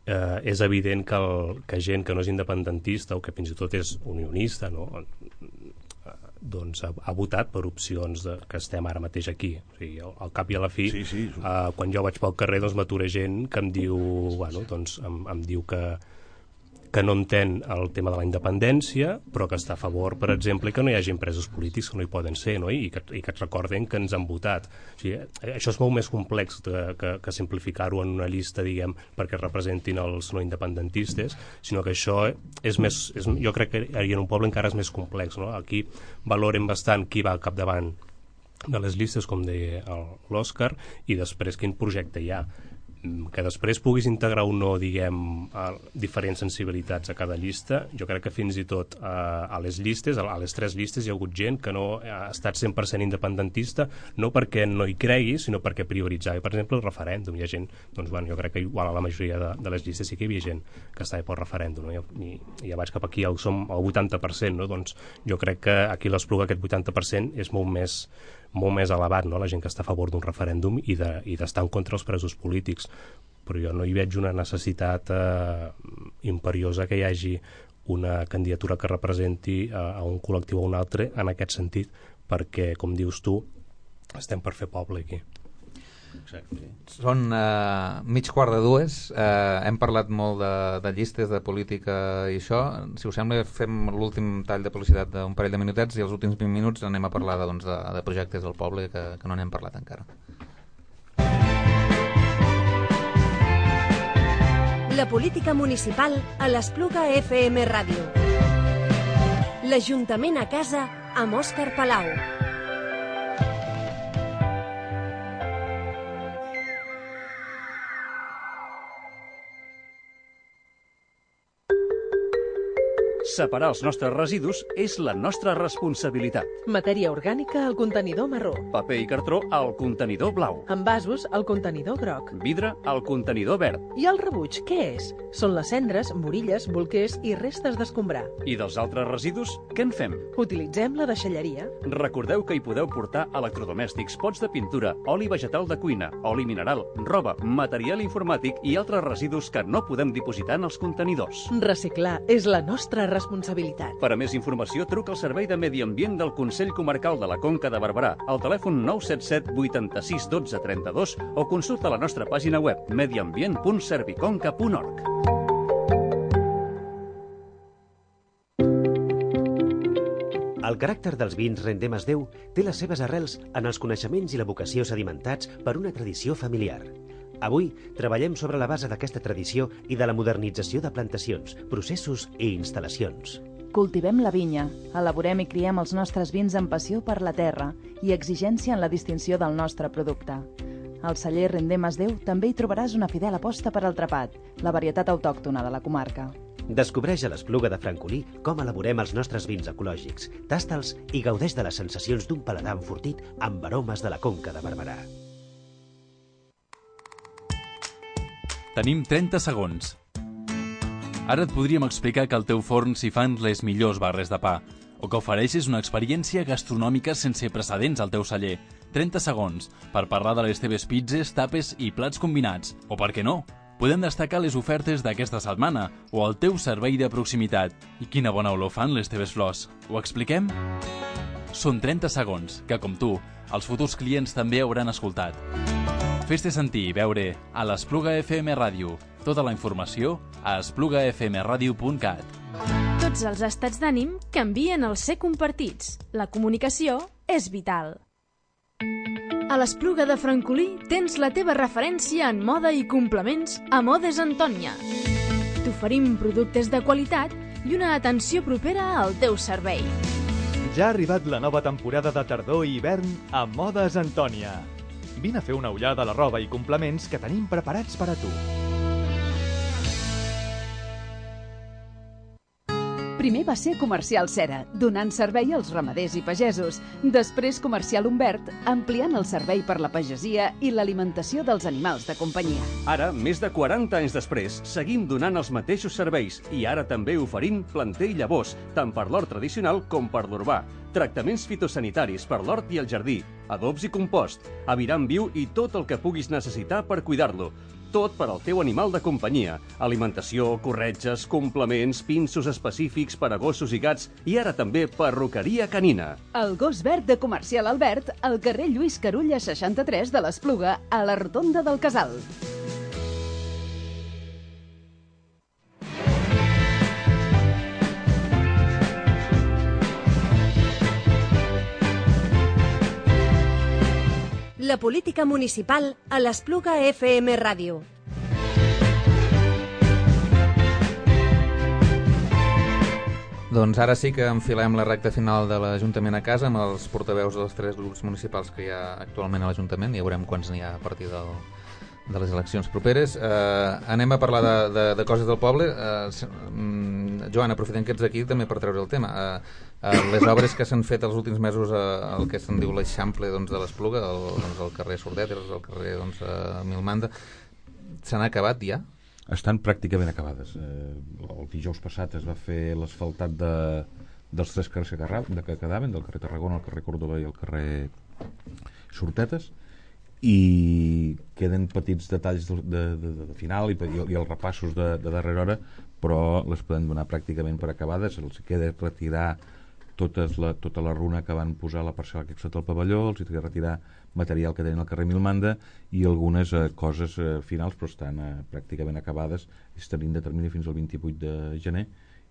eh, és evident que, el, que gent que no és independentista o que fins i tot és unionista, no? doncs ha, ha votat per opcions de, que estem ara mateix aquí. O sigui, al, al cap i a la fi, sí, sí. Uh, quan jo vaig pel carrer, doncs m'atura gent que em diu, bueno, doncs, em, em diu que, que no entén el tema de la independència, però que està a favor, per exemple, que no hi hagi presos polítics que no hi poden ser, no? I, que, i que et recorden que ens han votat. O sigui, això és molt més complex que, que, que simplificar-ho en una llista, diguem, perquè representin els no independentistes, sinó que això és més, és, jo crec que en un poble encara és més complex, no? Aquí valoren bastant qui va al capdavant de les llistes, com deia l'Òscar, i després quin projecte hi ha. Que després puguis integrar o no, diguem, a diferents sensibilitats a cada llista. Jo crec que fins i tot a, a les llistes, a les tres llistes, hi ha hagut gent que no ha estat cent per cent independentista, no perquè no hi cregui, sinó perquè prioritzava, per exemple, el referèndum. Hi ha gent, doncs, bueno, jo crec que igual a la majoria de, de les llistes sí que hi havia gent que estava pel referèndum, no? I, i ja vaig cap aquí, el, som al vuitanta per cent, no? Doncs jo crec que aquí a l'Espluga aquest vuitanta per cent és molt més molt més elevat, no? La gent que està a favor d'un referèndum i d'estar de, i en contra els presos polítics. Però jo no hi veig una necessitat eh, imperiosa que hi hagi una candidatura que representi eh, a un col·lectiu o un altre en aquest sentit, perquè, com dius tu, estem per fer poble aquí. Exacte. Són uh, mig quart de dues, uh, hem parlat molt de, de llistes, de política i això. Si us sembla, fem l'últim tall de publicitat d'un parell de minutets i els últims vint minuts anem a parlar de, doncs, de, de projectes del poble que, que no n'hem parlat encara. La política municipal a l'Espluga F M Ràdio. L'Ajuntament a casa amb Òscar Palau. Separar els nostres residus és la nostra responsabilitat. Matèria orgànica al contenidor marró. Paper i cartró al contenidor blau. Envasos al contenidor groc. Vidre al contenidor verd. I el rebuig, què és? Són les cendres, morilles, bolquers i restes d'escombrar. I dels altres residus, què en fem? Utilitzem la deixalleria. Recordeu que hi podeu portar electrodomèstics, pots de pintura, oli vegetal de cuina, oli mineral, roba, material informàtic i altres residus que no podem dipositar en els contenidors. Reciclar és la nostra responsabilitat. Per a més informació, truca al Servei de Medi Ambient del Consell Comarcal de la Conca de Barberà al telèfon nou set set vuitanta-sis dotze trenta-dos o consulta la nostra pàgina web mediambient punt serviconca punt org. El caràcter dels vins Rendemas Déu té les seves arrels en els coneixements i la vocació sedimentats per una tradició familiar. Avui treballem sobre la base d'aquesta tradició i de la modernització de plantacions, processos i instal·lacions. Cultivem la vinya, elaborem i criem els nostres vins amb passió per la terra i exigència en la distinció del nostre producte. Al celler Rendemas Déu també hi trobaràs una fidel aposta per al trapat, la varietat autòctona de la comarca. Descobreix a l'Espluga de Francolí com elaborem els nostres vins ecològics, tasta'ls i gaudeix de les sensacions d'un paladar enfortit amb aromes de la Conca de Barberà. Tenim trenta segons. Ara et podríem explicar que al teu forn s'hi fan les millors barres de pa, o que ofereixes una experiència gastronòmica sense precedents al teu celler. trenta segons per parlar de les teves pizzas, tapes i plats combinats. O per què no? Podem destacar les ofertes d'aquesta setmana o el teu servei de proximitat. I quina bona olor fan les teves flors. Ho expliquem? Són trenta segons que, com tu, els futurs clients també hauran escoltat. Fes-te sentir i veure a l'Espluga F M Ràdio. Tota la informació a espluga f m radio punt cat. Tots els estats d'ànim canvien al ser compartits. La comunicació és vital. A l'Espluga de Francolí tens la teva referència en moda i complements a Modes Antònia. T'oferim productes de qualitat i una atenció propera al teu servei. Ja ha arribat la nova temporada de tardor i hivern a Modes Antònia. Vine a fer una ullada a la roba i complements que tenim preparats per a tu. Primer va ser Comercial Cera, donant servei als ramaders i pagesos. Després Comercial Humbert, ampliant el servei per la pagesia i l'alimentació dels animals de companyia. Ara, més de quaranta anys després, seguim donant els mateixos serveis i ara també oferint planter i llavors, tant per l'hort tradicional com per l'urbà. Tractaments fitosanitaris per l'hort i el jardí, adobs i compost, aviram viu i tot el que puguis necessitar per cuidar-lo. tot per al teu animal de companyia. Alimentació, corretges, complements, pinços específics per a gossos i gats i ara també perruqueria canina. El gos verd de Comercial Albert, al carrer Lluís Carulla seixanta-tres de l'Espluga, a la Rotonda del Casal. La política municipal a l'Espluga F M Ràdio. Doncs ara sí que enfilem la recta final de l'Ajuntament a casa amb els portaveus dels tres grups municipals que hi ha actualment a l'Ajuntament. Ja veurem quants n'hi ha a partir del, de les eleccions properes. Eh, anem a parlar de, de, de coses del poble. Eh, Joan, aprofitem que ets aquí també per treure el tema. Eh, eh, les obres que s'han fet els últims mesos al eh, que se'n diu l'Eixample doncs, de l'Espluga, el, doncs, el carrer Sordetes, el carrer doncs, eh, Milmanda, s'han acabat ja? Estan pràcticament acabades. Eh, el dijous passat es va fer l'asfaltat de, dels tres carrers que, de que quedaven, del carrer Tarragona, el carrer Còrdova i el carrer Sortetes, i queden petits detalls de, de, de, de final i, i els repassos de, de darrera hora, però les podem donar pràcticament per acabades. Els queda retirar totes la, tota la runa que van posar a la parcel·la que sota el pavelló, els queda retirar material que tenen al carrer Milmanda i algunes eh, coses eh, finals, però estan eh, pràcticament acabades. Estan de termini fins al vint-i-vuit de gener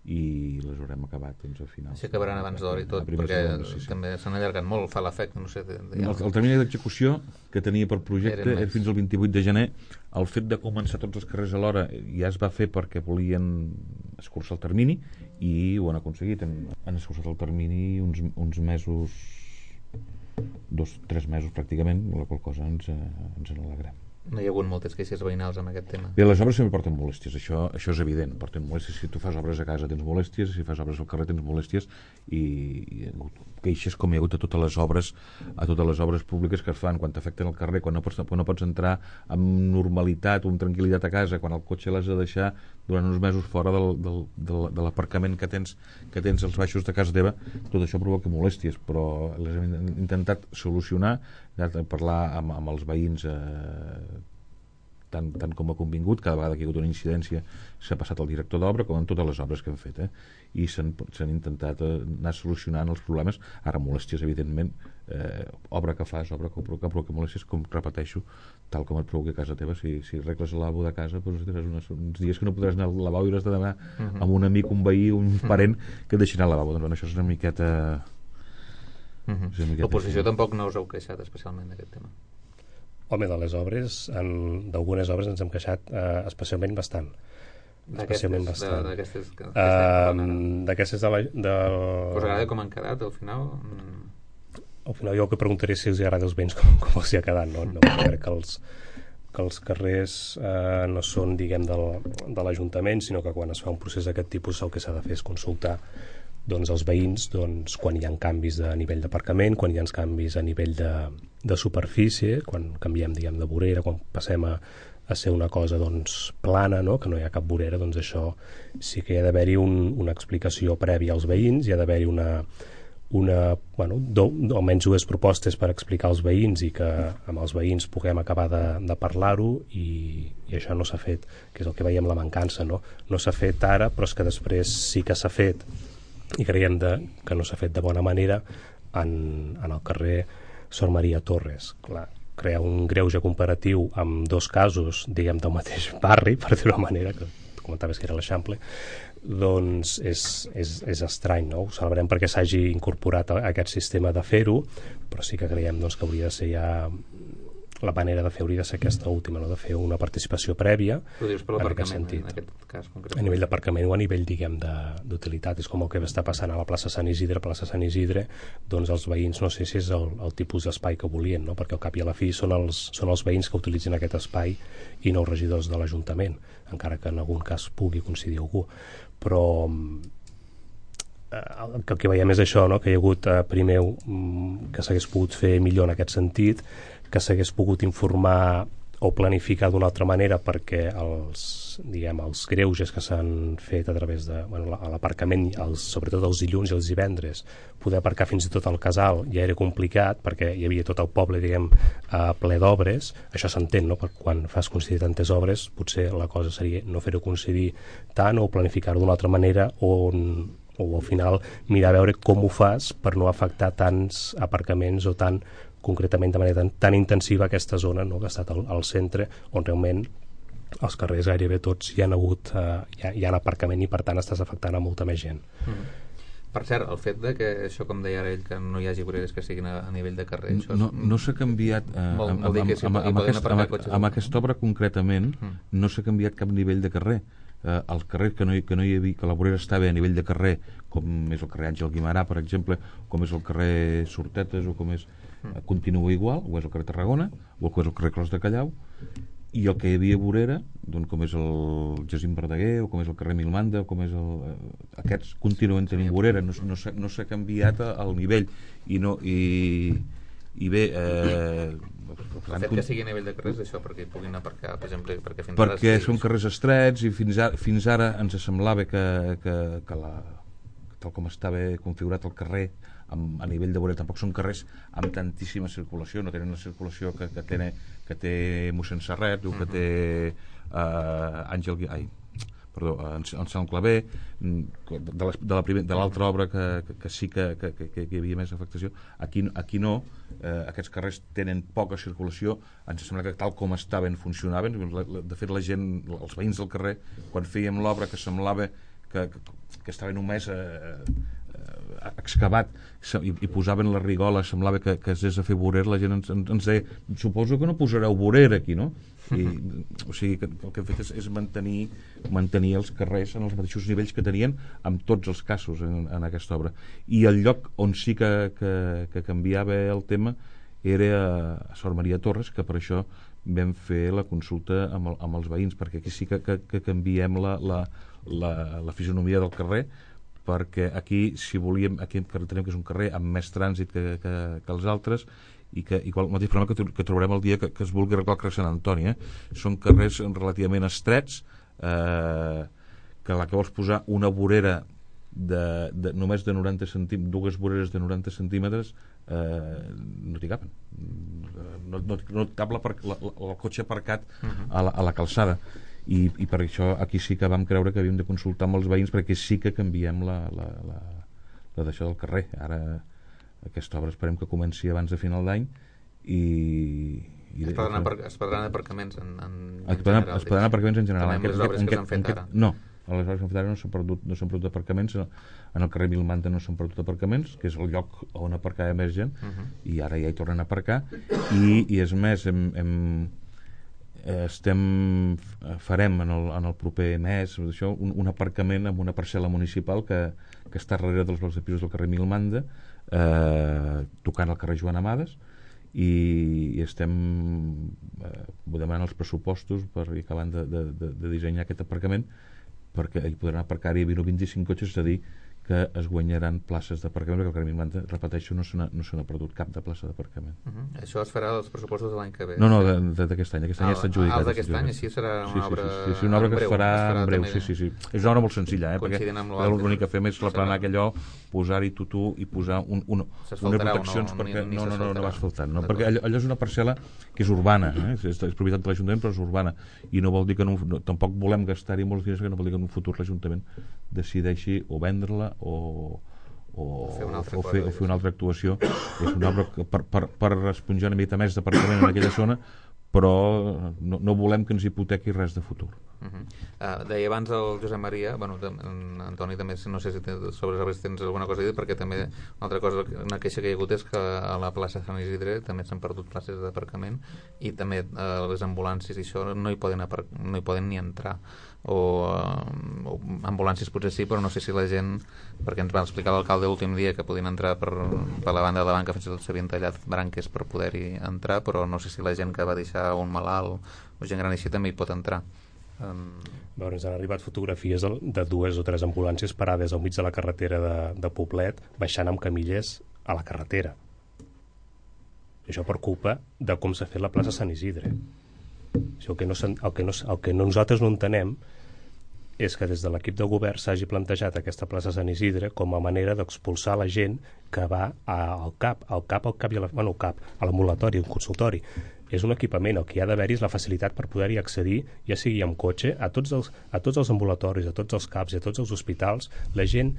i les haurem acabat doncs, al final. Així acabaran abans d'hora i tot, perquè segona, sí, sí. també s'han allargat molt, fa l'efecte, no sé... De, de... El, el termini d'execució que tenia per projecte era fins al vint-i-vuit de gener. El fet de començar tots els carrers alhora ja es va fer perquè volien escurçar el termini i ho han aconseguit. Han, han escurçat el termini uns, uns mesos, dos, tres mesos pràcticament, la qual cosa ens, ens en alegrem. No hi ha hagut moltes queixes veïnals amb aquest tema. Bé, les obres sempre porten molèsties, això, això és evident, porten molèsties. Si tu fas obres a casa tens molèsties, si fas obres al carrer tens molèsties, i, i queixes com hi ha hagut a totes les obres, a totes les obres públiques que es fan, quan t'afecten al carrer, quan no pots, quan no pots entrar amb normalitat o amb tranquil·litat a casa, quan el cotxe l'has de deixar durant uns mesos fora del, del, del, de l'aparcament que tens, que tens als baixos de casa teva, tot això provoca molèsties, però les hem intentat solucionar, parlar amb, amb els veïns eh, tant, tant com ha convingut. Cada vegada que hi ha hagut una incidència s'ha passat al director d'obra, com en totes les obres que hem fet, eh? I s'han intentat eh, anar solucionant els problemes. Ara molèsties, evidentment, eh, obra que fas, obra que provoca, provoca molèsties, com repeteixo, tal com et provoca a casa teva. Si, si arregles el lavabo de casa, doncs tindràs unes, uns dies que no podràs anar al lavabo i hauràs de demanar uh -huh. amb un amic, un veí, un parent que et deixin al lavabo. Doncs bueno, això és una miqueta... Uh -huh. L'oposició tampoc no us heu queixat especialment d'aquest tema? Home, de les obres, d'algunes obres ens hem queixat eh, especialment bastant. Especialment bastant. D'aquestes uh, d'aquestes de la... De... Us agrada com han quedat al final? Al final jo el que preguntaré si els agrada als veïns com, com els hi ha quedat. No, no crec que els, que els carrers eh, no són, diguem, del, de l'Ajuntament, sinó que quan es fa un procés d'aquest tipus el que s'ha de fer és consultar doncs els veïns doncs, quan hi ha canvis de nivell d'aparcament, quan hi ha canvis a nivell de, de superfície, quan canviem diguem, de vorera, quan passem a, a ser una cosa doncs, plana, no? Que no hi ha cap vorera, doncs això sí que hi ha d'haver-hi un, una explicació prèvia als veïns, hi ha d'haver-hi una, una bueno, do, almenys dues propostes per explicar als veïns i que amb els veïns puguem acabar de, de parlar-ho i, i això no s'ha fet, que és el que veiem la mancança, no? No s'ha fet ara, però és que després sí que s'ha fet i creiem de, que no s'ha fet de bona manera en, en el carrer Sor Maria Torres. Clar, crear un greuge comparatiu amb dos casos, diguem, del mateix barri, per dir-ho d'una manera, que comentaves que era l'Eixample, doncs és, és, és estrany, no? Ho celebrem perquè s'hagi incorporat a, a aquest sistema de fer-ho, però sí que creiem doncs, que hauria de ser ja... la manera de fer hauria de ser aquesta última, no? De fer una participació prèvia. Ho dius per l'aparcament, en aquest cas concret. A nivell d'aparcament o a nivell, diguem, d'utilitat. És com el que està passant a la plaça Sant Isidre. A plaça Sant Isidre, doncs els veïns, no sé si és el, el tipus d'espai que volien, no? Perquè al cap i a la fi són els, són els veïns que utilitzen aquest espai i no els regidors de l'Ajuntament, encara que en algun cas pugui coincidir algú. Però el que veiem és això, no? Que hi ha hagut eh, primer que s'hagués pogut fer millor en aquest sentit, que s'hagués pogut informar o planificar d'una altra manera perquè els, diguem, els greuges que s'han fet a través de bueno, l'aparcament, els, sobretot els dilluns i els divendres, poder aparcar fins i tot al casal ja era complicat perquè hi havia tot el poble, diguem, uh, ple d'obres. Això s'entén, no? Perquè quan fas coincidir tantes obres potser la cosa seria no fer-ho coincidir tant o planificar-ho d'una altra manera o, o al final mirar a veure com ho fas per no afectar tants aparcaments o tant concretament de manera tan, tan intensiva aquesta zona, no? Que ha estat al, al centre on realment els carrers gairebé tots hi han hagut uh, hi, ha, hi ha aparcament i per tant estàs afectant a molta més gent. Mm. Per cert, el fet de que això, com deia ara ell, que no hi hagi voreres que siguin a, a nivell de carrer, això és... No, no s'ha canviat eh, vol, amb, vol dir que si amb, amb, aquest, amb, cotxes... amb aquesta obra concretament mm. no s'ha canviat cap nivell de carrer. Eh, el carrer que no, hi, que no hi havia, que la vorera estava a nivell de carrer, com és el carrer Àngel Guimarà, per exemple, com és el carrer Sortetes o com és mm. continua igual, o és el carrer Tarragona o és el carrer Clos de Callau, i el que hi havia a vorera, doncs, com és el Jacint Verdaguer o com és el carrer Milmanda o com és el... Eh, aquests continuen tenint vorera, no, no s'ha no canviat el nivell i no i, i bé eh, el fet que sigui a nivell de carrers això perquè hi puguin aparcar, per exemple, perquè fins perquè ara són carrers estrets i fins ara, fins ara ens semblava que, que, que la, tal com estava configurat el carrer amb, a nivell de vorera, tampoc són carrers amb tantíssima circulació, no tenen la circulació que, que, té, que té mossèn Serret o que té uh, Àngel ai, perdó, en, en Sant Claver de l'altra obra que, que, que sí que, que, que, que hi havia més afectació, aquí, aquí no, eh, aquests carrers tenen poca circulació, ens sembla que tal com estaven funcionaven, de fet la gent, els veïns del carrer, quan fèiem l'obra que semblava que, que, que estava només eh, excavat i, i posaven la rigola, semblava que, que es des a fer vorera, la gent ens, ens deia, suposo que no posareu vorera aquí, no? I, o sigui, que el que hem fet és, és mantenir, mantenir els carrers en els mateixos nivells que tenien en tots els casos en, en aquesta obra. I el lloc on sí que, que, que canviava el tema era a Sor Maria Torres, que per això vam fer la consulta amb, el, amb els veïns, perquè aquí sí que, que, que canviem la, la, la, la fisonomia del carrer, perquè aquí, si volíem, aquí tenim que és un carrer amb més trànsit que, que, que els altres i que igual, el mateix problema que, que trobarem el dia que, que es vulgui arreglar el carrer Sant Antoni, eh? Són carrers relativament estrets, eh, que la que vols posar una vorera de, de, només de noranta centímetres, dues voreres de noranta centímetres eh, no t'hi capen, no, no, no et cap la, la, la, el cotxe aparcat a la, a la calçada. I, i per això aquí sí que vam creure que havíem de consultar amb els veïns perquè sí que canviem la, la, la, la d'això del carrer. Ara aquesta obra esperem que comenci abans de final d'any i, i es perdran, apar es perdran aparcaments en, en, es perdran, general, es perdran aparcaments en general també amb les obres que s'han fet ara no, a les obres que s'han fet ara no s'han perdut, no s'han perdut aparcaments, en el carrer Milmanda no s'han perdut aparcaments, que és el lloc on aparcava més gent, uh -huh. i ara ja hi tornen a aparcar i, i és més hem, hem estem farem en el, en el proper mes això, un, un aparcament amb una parcel·la municipal que, que està darrere dels blocs de pisos del carrer Milmanda, eh, tocant al carrer Joan Amades i, i estem eh, demanant els pressupostos per ir acabant de, de, de, de dissenyar aquest aparcament perquè hi podran aparcar-hi vint o vint-i-cinc cotxes, és a dir que es guanyaran places d'aparcament, perquè el carrer Milmanda, repeteixo, no se n'ha perdut cap de plaça d'aparcament. Uh -huh. Això es farà als pressupostos de l'any que ve? No, no, d'aquest any, aquest any ah, ja està adjudicat. Ah, d'aquest any, així serà una sí, sí, obra sí, sí, sí, una obra que es farà en breu, sí, sí, sí. És una obra molt senzilla, eh, perquè l'únic que fem és replanar allò, posar-hi tutú i posar un, un, unes proteccions, no, perquè ni, ni no, no, no, no va asfaltant, no, perquè allò, allò és una parcel·la que és urbana, eh, és, és propietat de l'Ajuntament, però és urbana, i no vol dir que no, no, tampoc volem gastar-hi molts diners, que no vol dir que en un futur l'Ajuntament decideixi o vendre-la o o fer una altra, o fer, o fer una altra actuació. És una obra que per, per, per esponjar una mica més d'aparcament en aquella zona, però no, no volem que ens hipotequi res de futur. Uh -huh. uh, deia abans el Josep Maria, bueno, en Antoni també, no sé si sobre els arbres tens alguna cosa a dir, perquè també una altra cosa, una queixa que hi ha hagut és que a la plaça Sant Isidre també s'han perdut places d'aparcament i també uh, les ambulàncies i això no hi poden, no hi poden ni entrar o, uh, o ambulàncies potser sí, però no sé si la gent, perquè ens va explicar l'alcalde l'últim dia que podien entrar per, per la banda de la banca, fins i tot s'havien tallat branques per poder-hi entrar, però no sé si la gent que va deixar un malalt o gent gran així també hi pot entrar. Um... Veure, ens han arribat fotografies de, de dues o tres ambulàncies parades al mig de la carretera de, de Poblet, baixant amb camilles a la carretera. I això per culpa de com s'ha fet la plaça Sant Isidre. O sigui, el, que no, el, que no, el que nosaltres no entenem és que des de l'equip de govern s'hagi plantejat aquesta plaça Sant Isidre com a manera d'expulsar la gent que va al CAP, al CAP, al CAP i a la, bueno, al CAP, a l'ambulatori, un consultori. És un equipament, el que hi ha d'haver-hi és la facilitat per poder-hi accedir, ja sigui amb cotxe, a tots, els, a tots els ambulatoris, a tots els CAPs i a tots els hospitals. La gent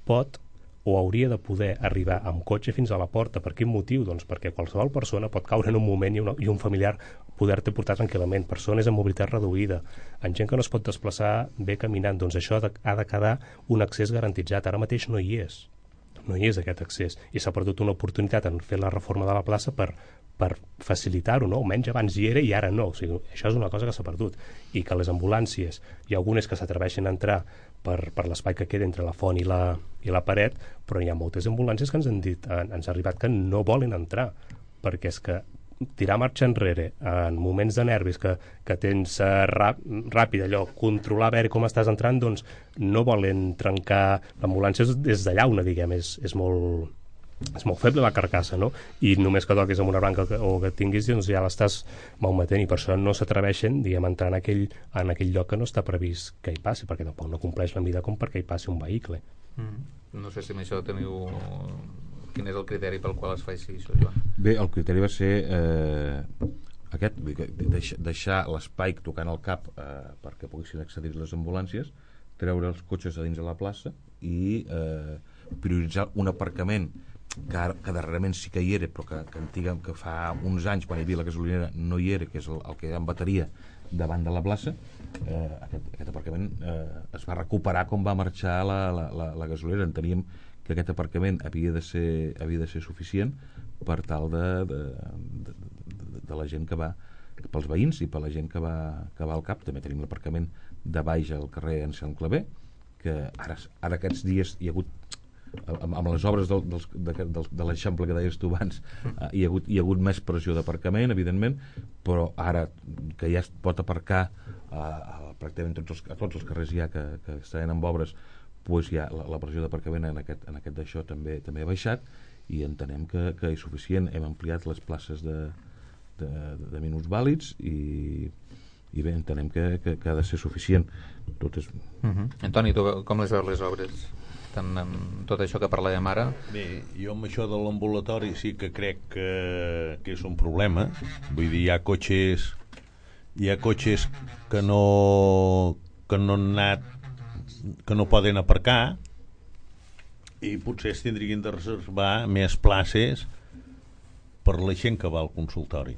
pot o hauria de poder arribar amb cotxe fins a la porta. Per quin motiu? Doncs perquè qualsevol persona pot caure en un moment i, una, i un familiar poder-te portar tranquil·lament. Persones amb mobilitat reduïda, en gent que no es pot desplaçar bé caminant. Doncs això ha de, ha de quedar un accés garantitzat. Ara mateix no hi és. No hi és aquest accés. I s'ha perdut una oportunitat en fer la reforma de la plaça per, per facilitar-ho, no? Almenys abans hi era i ara no. O sigui, això és una cosa que s'ha perdut. I que les ambulàncies, hi ha algunes que s'atreveixen a entrar per, per l'espai que queda entre la font i la, i la paret, però hi ha moltes ambulàncies que ens han dit, ens ha arribat que no volen entrar, perquè és que tirar marxa enrere en moments de nervis que, que tens uh, rap, ràpid allò, controlar a veure com estàs entrant, doncs no volen trencar l'ambulància des d'allà una, diguem, és, és molt és molt feble la carcassa, no? I només que toquis amb una branca o que tinguis, doncs ja l'estàs malmetent, i per això no s'atreveixen, diguem, a entrar en aquell, en aquell lloc que no està previst que hi passi, perquè tampoc no compleix la mida com perquè hi passi un vehicle. Mm. No sé si amb això teniu... Quin és el criteri pel qual es fa així, això, Joan? Bé, el criteri va ser eh, aquest, deixar, deixar l'espai tocant el cap eh, perquè poguessin accedir les ambulàncies, treure els cotxes a dins de la plaça i eh, prioritzar un aparcament que, ara, que darrerament sí que hi era, però que, que, antiga, que fa uns anys, quan hi havia la gasolinera, no hi era, que és el, el que hi ha en bateria davant de la plaça. Eh, aquest, aquest aparcament eh, es va recuperar com va marxar la, la, la, la gasolinera. Enteníem que aquest aparcament havia de ser, havia de ser suficient per tal de, de, de, de, de la gent que va, pels veïns i per la gent que va, que va al CAP. També tenim l'aparcament de baix al carrer Anselm Clavé, que ara, ara aquests dies hi ha hagut, amb, amb les obres del, dels, de, de, de l'Eixample que deies tu abans, eh, hi, ha hagut, hi ha hagut més pressió d'aparcament, evidentment, però ara que ja es pot aparcar a, a, pràcticament tots els, a tots els carrers ja que, que estan amb obres, pues ja la, la pressió d'aparcament en aquest, en aquest d'això també també ha baixat, i entenem que, que és suficient. Hem ampliat les places de, de, de minuts vàlids i, i bé, entenem que, que, que ha de ser suficient. Tot és... Uh -huh. Antoni, tu com les veus les obres? Tant amb tot això que parlàvem ara? Bé, jo amb això de l'ambulatori sí que crec que, que és un problema. Vull dir, hi ha cotxes hi ha cotxes que no que no han anat que no poden aparcar, i potser es tindrien de reservar més places per la gent que va al consultori.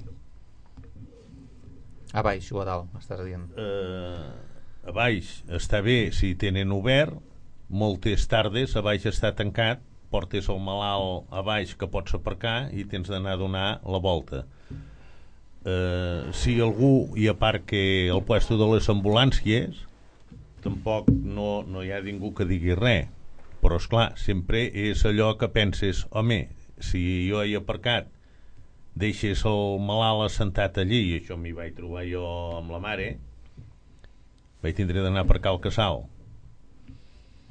A baix o a dalt, estàs dient? Uh, a baix està bé si tenen obert, moltes tardes a baix està tancat, portes el malalt a baix que pots aparcar i tens d'anar a donar la volta. Uh, si algú hi aparca al puesto de les ambulàncies, tampoc no, no hi ha ningú que digui res, però esclar, sempre és allò que penses, home, si jo he aparcat, deixes el malalt assentat allí, i això m'hi vaig trobar jo amb la mare, vaig tindre d'anar a aparcar al casal.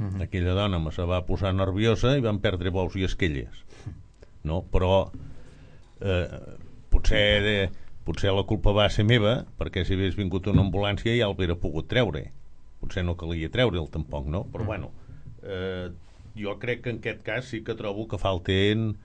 Uh-huh. Aquella dona me se va posar nerviosa i van perdre bous i esquelles, no? Però eh, potser, de, potser la culpa va ser meva, perquè si hagués vingut una ambulància ja l'hauria pogut treure. Potser no calia treure'l tampoc, no? Però bueno, eh, jo crec que en aquest cas sí que trobo que falten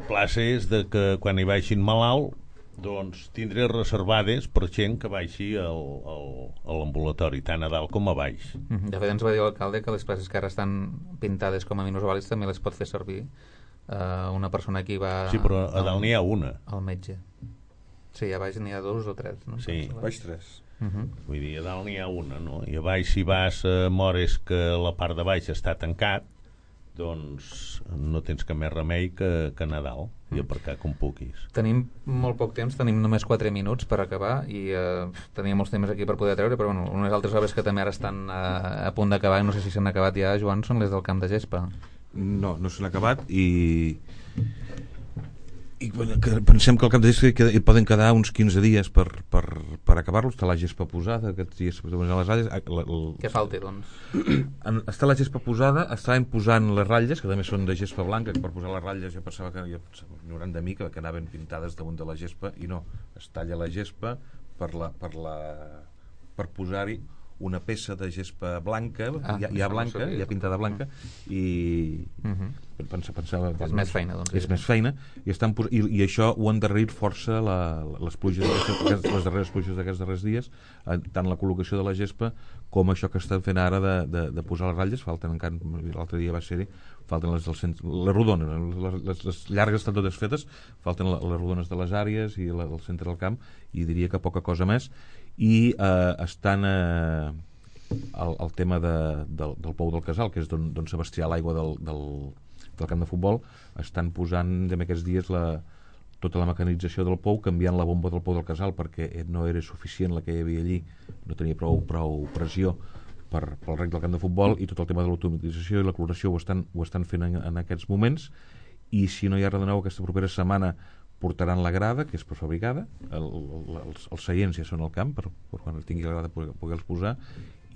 places de que quan hi baixin malalt, doncs tindré reservades per gent que baixi al, al, a l'ambulatori, tant a dalt com a baix. De fet, ens va dir l'alcalde que les places que ara estan pintades com a minusvàlids també les pot fer servir eh, una persona que hi va... Sí, però a dalt n'hi ha una. Al metge. Sí, a baix n'hi ha dos o tres, no? Sí, a baix tres. Uh-huh. Vull dir, a dalt n'hi ha una, no? I a baix, si vas a Mores que la part de baix està tancat, doncs no tens que més remei que, que anar a dalt i aparcar com puguis. Tenim molt poc temps, tenim només quatre minuts per acabar i eh, teníem molts temes aquí per poder treure, però bueno, unes altres obres que també ara estan a, a punt d'acabar, no sé si s'han acabat ja, Joan, són les del Camp de Gespa. No, no s'han acabat i... i bueno, que pensem que al Camp de Gespa hi poden quedar uns quinze dies per, per, per acabar-lo. Està la gespa posada, aquests dies per posar les ratlles. La, la... Què falta, doncs? Està la gespa posada, estaven posant les ratlles, que també són de gespa blanca, que per posar les ratlles ja pensava que ja ignorant de mi que, que anaven pintades damunt de la gespa, i no, es talla la gespa, per, la, per, la, per posar-hi una peça de gespa blanca, ah, ja, ja blanca, ja pintada blanca, i uh-huh. pensava, pensava és més feina, doncs. És més feina, i, estan, i, i això ho han endarrerit força la, les pluges aquestes, les darreres pluges d'aquests darrers dies, tant la col·locació de la gespa com això que estan fent ara de, de, de posar les ratlles. Falten encara, l'altre dia va ser-hi, falten les, del centre, les rodones, les, les, les llargues estan totes fetes, falten les, les rodones de les àrees i la, el centre del camp, i diria que poca cosa més. I eh, estan eh, el, el tema de, del, del Pou del Casal, que és d'on, d'on s'abastià l'aigua del, del, del camp de futbol, estan posant en aquests dies la, tota la mecanització del pou, canviant la bomba del Pou del Casal perquè no era suficient la que hi havia allí, no tenia prou, prou pressió per, pel rec del camp de futbol, i tot el tema de l'automatització i la cloració ho estan, ho estan fent en, en aquests moments. I si no hi ha res de nou, aquesta propera setmana portaran la grada, que és prefabricada, el, el, els, els seients ja són al camp per, per quan tingui la grada poder, poder-los posar,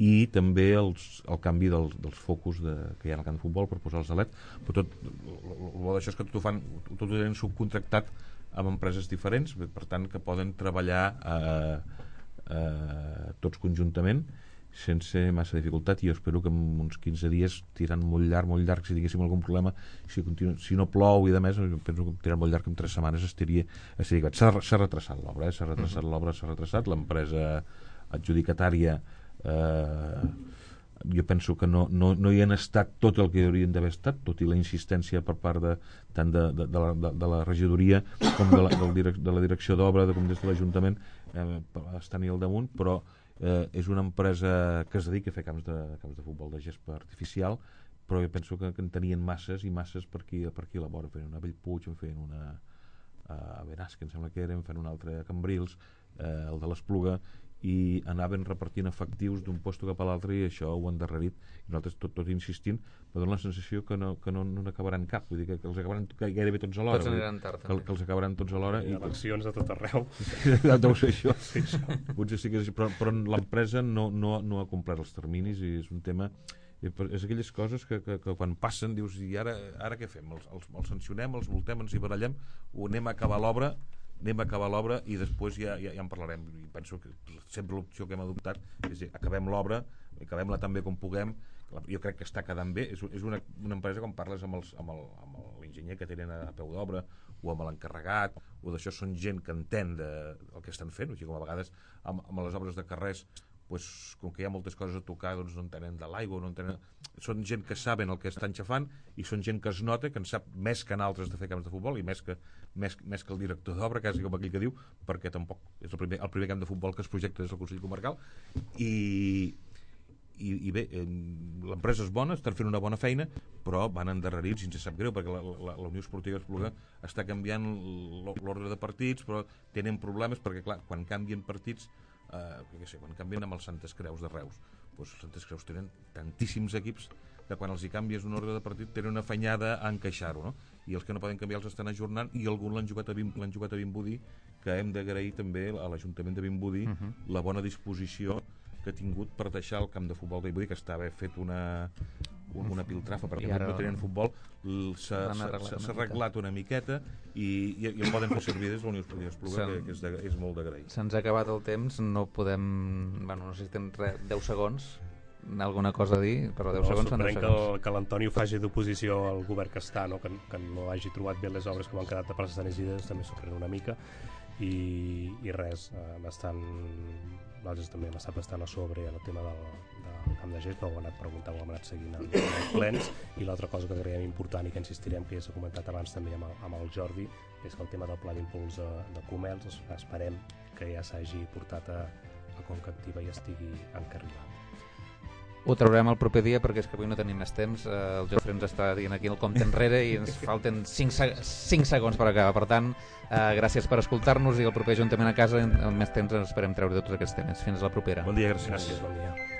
i també els, el canvi dels, dels focus de, que hi ha al camp de futbol per posar els de L E D. Però tot, el bo d'això és que tot ho fan, tot ho tenen subcontractat amb empreses diferents, per tant que poden treballar eh, eh, tots conjuntament sense massa dificultat, i jo espero que en uns quinze dies, tirant molt llarg, molt llarg, si diguéssim algun problema, si, continu, si no plou i de més, penso que tirant molt llarg, en tres setmanes estaria, estaria s'ha, s'ha retrasat l'obra, eh? s'ha retrasat uh-huh. l'obra, s'ha retrasat, l'empresa adjudicatària eh, jo penso que no, no, no hi han estat tot el que haurien d'haver estat, tot i la insistència per part de, tant de, de, de, la, de, de la regidoria com de la, del direc, de la direcció d'obra, de, com des de l'Ajuntament, eh, estan-hi al damunt, però Eh, és una empresa que es dedica a fer camps de, camps de futbol de gespa artificial, però jo penso que, que en tenien masses i masses per aquí, per aquí a la vora. Feien una a Bellpuig, en feien una a Benasque, em sembla que era, en feien una altra a Cambrils, eh, el de l'Espluga, i anaven repartint efectius d'un lloc cap a l'altre, i això ho han endarrerit, i nosaltres tot, tot insistint, però dona la sensació que no, que no, no n'acabaran cap, vull dir que, que els acabaran gairebé tots alhora, tots aniran tard, que, que els acabaran tots alhora, i eleccions a tot arreu. Deu ser això, sí, potser sí que és, però, però l'empresa no, no, no ha complert els terminis, i és un tema, és aquelles coses que, que, que quan passen dius, i ara, ara què fem? Els, els, els sancionem, els multem, ens hi barallem, o anem a acabar l'obra, anem a acabar l'obra i després ja, ja, ja en parlarem. I penso que sempre l'opció que hem adoptat és dir, acabem l'obra, acabem-la tan bé com puguem. Jo crec que està quedant bé. És, és una, una empresa, com parles amb, els, amb, el, amb l'enginyer que tenen a peu d'obra o amb l'encarregat, o d'això, són gent que entén de, el que estan fent, o sigui, com a vegades amb, amb les obres de carrers, pues, com que hi ha moltes coses a tocar, doncs no en tenen de l'aigua, no en tenen... Són gent que saben el que estan xafant, i són gent que es nota, que en sap més que altres de fer camps de futbol, i més que, més, més que el director d'obra, quasi com aquell que diu, perquè tampoc és el primer, el primer camp de futbol que es projecta des del Consell Comarcal. I, i, i bé, eh, l'empresa és bona, estan fent una bona feina, però van endarrerits, i ens sap greu, perquè la, la, la Unió Esportiva Espluga està canviant l'ordre de partits, però tenen problemes, perquè clar, quan canvien partits, Uh, que sé, quan canvien amb els Santes Creus de Reus, doncs els Santes Creus tenen tantíssims equips que quan els hi canvies un ordre de partit tenen una afanyada a encaixar-ho, no? I els que no poden canviar els estan ajornant, i alguns l'han jugat a, l'han jugat a Vimbodí, que hem d'agrair també a l'Ajuntament de Vimbodí uh-huh. la bona disposició que ha tingut per deixar el camp de futbol de Vimbodí, que estava fet una, una piltrafa perquè ara no tenien futbol, s'ha arreglat una miqueta, i, i, i el poden fer servir des de la Unió Esportiva Espluga, que, que és, de, és molt d'agrair. Se'ns ha acabat el temps, no podem, bueno, no sé si tens res, deu segons, alguna cosa a dir, però deu no, segons són deu segons. Que, que l'Antoni ho faci d'oposició al govern que està, no? Que, que no hagi trobat bé les obres que m'han quedat de places energides, també sorprèn una mica, i, i res, eh, bastant, nosaltres també hem estat bastant a sobre el tema del, del camp de gespa, ho hem anat preguntant, ho hem anat seguint en, en els plens, i l'altra cosa que creiem important i que insistirem, que ja s'ha comentat abans també amb el, amb el Jordi, és que el tema del pla d'impuls de, de Comels, esperem que ja s'hagi portat a, a Conca Activa i estigui encarrilat. Ho traurem el proper dia, perquè és que avui no tenim més temps. Eh, el Jofre ens està dient aquí el compte enrere i ens falten cinc segons per acabar. Per tant, eh, gràcies per escoltar-nos, i el proper Ajuntament a casa, en més temps ens esperem treure tots aquests temes. Fins la propera. Bon dia, gràcies. Gràcies, bon dia.